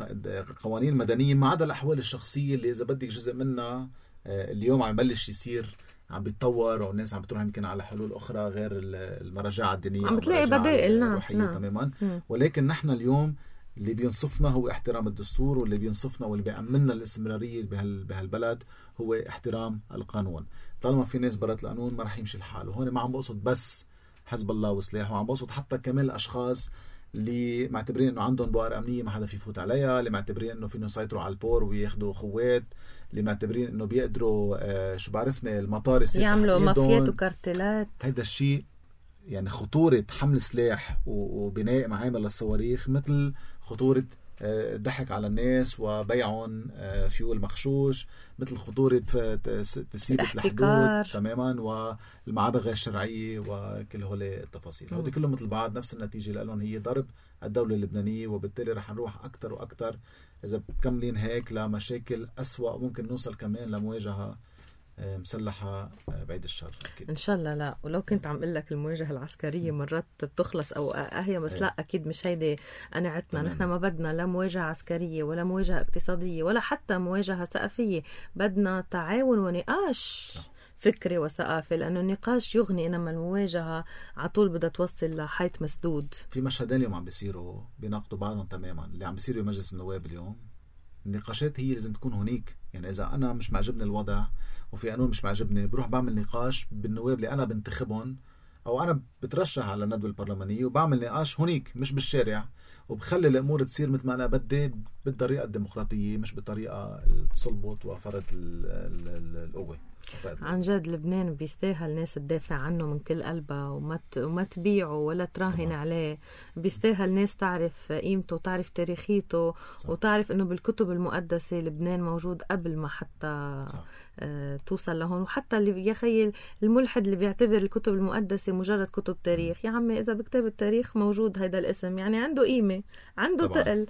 قوانين مدنية ما عدا الأحوال الشخصية اللي إذا بدك جزء منها اليوم عم يبلش يصير عم بيتطور، والناس عم بتروح يمكن على حلول أخرى غير المراجعة الدينية، عم بتلاقي بدائل. نعم. تماما. ولكن نحن اليوم اللي بينصفنا هو احترام الدستور، واللي بينصفنا واللي بيأمننا الاستمرارية بهالبلد هو احترام القانون. طالما في ناس برات القانون ما رح يمشي الحال. وهون ما عم بقصد بس حزب الله وسلاح، وعم بقصد حتى كمان الأشخاص اللي معتبرين انه عندهم بؤر امنيه ما حدا في يفوت عليها، اللي معتبرين انه فيهم يسيطروا على البور وياخذوا خوات، اللي معتبرين انه بيقدروا شو بعرفني المطار يعملوا مافيات وكارتلات. هيدا الشيء يعني خطورة حمل سلاح وبناء معامل للصواريخ مثل خطورة ضحك على الناس وبيعهم فيول مغشوش، مثل خطورة تسييب الحدود تماما والمعابر غير شرعية وكل هول التفاصيل. هودي كلهم مثل بعض نفس النتيجة لهم هي ضرب الدولة اللبنانية، وبالتالي رح نروح أكتر وأكتر إذا بكملين هيك لمشاكل أسوأ، ممكن نوصل كمان لمواجهة مسلحة بعيد الشر أكيد. إن شاء الله لا. ولو كنت عم قل لك المواجهة العسكرية مرات بتخلص أو هي بس لا أكيد مش هيدي قناعتنا. نحن ما بدنا لا مواجهة عسكرية ولا مواجهة اقتصادية ولا حتى مواجهة ثقافية، بدنا تعاون ونقاش فكري وثقافي، لأنه النقاش يغني، إنما المواجهة عطول بدها توصل لحيط مسدود. في مشهدين اليوم عم بيصيروا بيناقضوا بعضهم تماما. اللي عم بيصير بمجلس النواب اليوم، النقاشات هي لازم تكون هنيك. يعني إذا أنا مش معجبني الوضع وفي قانون مش معجبني، بروح بعمل نقاش بالنواب اللي أنا بنتخبهم أو أنا بترشح على الندوة البرلمانية، وبعمل نقاش هنيك مش بالشارع، وبخلي الأمور تصير مثل ما أنا بدي بالطريقة الديمقراطية مش بالطريقة التصلبط وفرض القوة. عن جد لبنان بيستاهل ناس تدافع عنه من كل قلبها وما تبيعه ولا تراهن عليه. بيستاهل ناس تعرف قيمته وتعرف تاريخيته وتعرف انه بالكتب المقدسة لبنان موجود قبل ما حتى توصل لهون. وحتى اللي يخيل الملحد اللي بيعتبر الكتب المقدسة مجرد كتب تاريخ، يا عمي إذا بكتاب التاريخ موجود هيدا الاسم يعني عنده قيمة، عنده تقل.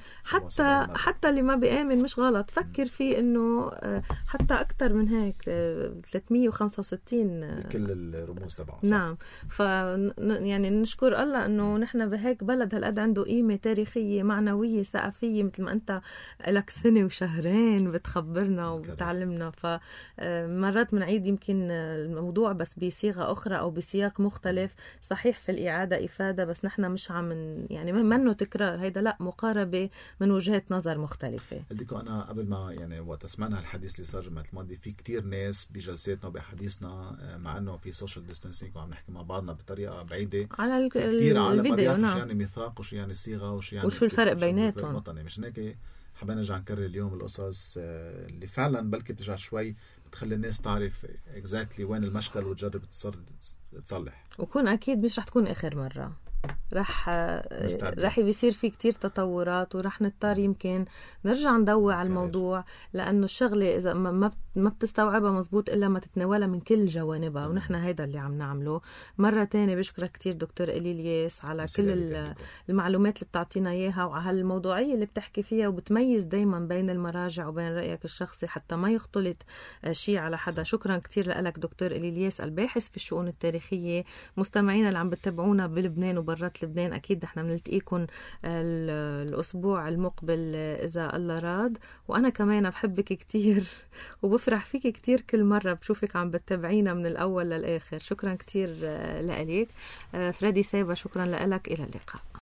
حتى اللي ما بيآمن مش غلط، فكر فيه انه حتى اكتر من هيك 365 كل الرموز تبعه. نعم. يعني نشكر الله انه نحن بهيك بلد هالقد عنده قيمة تاريخية معنوية ثقافية، مثل ما انت لك سنة وشهرين بتخبرنا وبتعلمنا. فمرات بنعيد يمكن الموضوع بس بصيغة أخرى أو بسياق مختلف. صحيح في الإعادة إفادة، بس نحن مش عم يعني منه تكرار، هيدا لا مقاربة من وجهات نظر مختلفة. قلتلكم أنا قبل ما يعني وقت سمعنا الحديث اللي صار جمعة الماضي، في كتير ناس بجلساتنا وبحديثنا مع أنه في سوشيال ديستانسينج وعم نحكي مع بعضنا بطريقة بعيدة على كتير عالم الفيديو. نعم. وش يعني ميثاق وش يعني صيغة وش الفرق بيناتهم. مش هيك حابين نرجع نكرر اليوم القصص اللي فعلا بلكي بترجع شوي بتخلي الناس تعرف exactly وين المشكل وتجرب تصلح. وكون أكيد مش رح تكون آخر مرة، رح بيصير في كتير تطورات ورح نضطر يمكن نرجع ندور على الموضوع، لأنه الشغلة إذا ما بتستوعبها مزبوط إلا ما تتناولها من كل جوانبها. ونحن هيدا اللي عم نعمله. مرة تانية بشكرك كتير دكتور إليلياس على كل المعلومات اللي بتعطينا إياها وعلى هالموضوعية اللي بتحكي فيها، وبتميز دايما بين المراجع وبين رأيك الشخصي حتى ما يختلط شيء على حدا. شكرا كتير لك دكتور إليلياس الباحث في الشؤون التاريخية. مستمعينا اللي عم بتتابعونا بلبنان وبرات لبنان، أكيد نحن بنلتقيكم الأسبوع المقبل إذا الله راد. وأنا كمان بحبك كتير وبفرح فيك كتير كل مرة بشوفك عم بتتابعينا من الأول للآخر. شكرا كتير لك فريدي سيبا، شكرا لك. إلى اللقاء.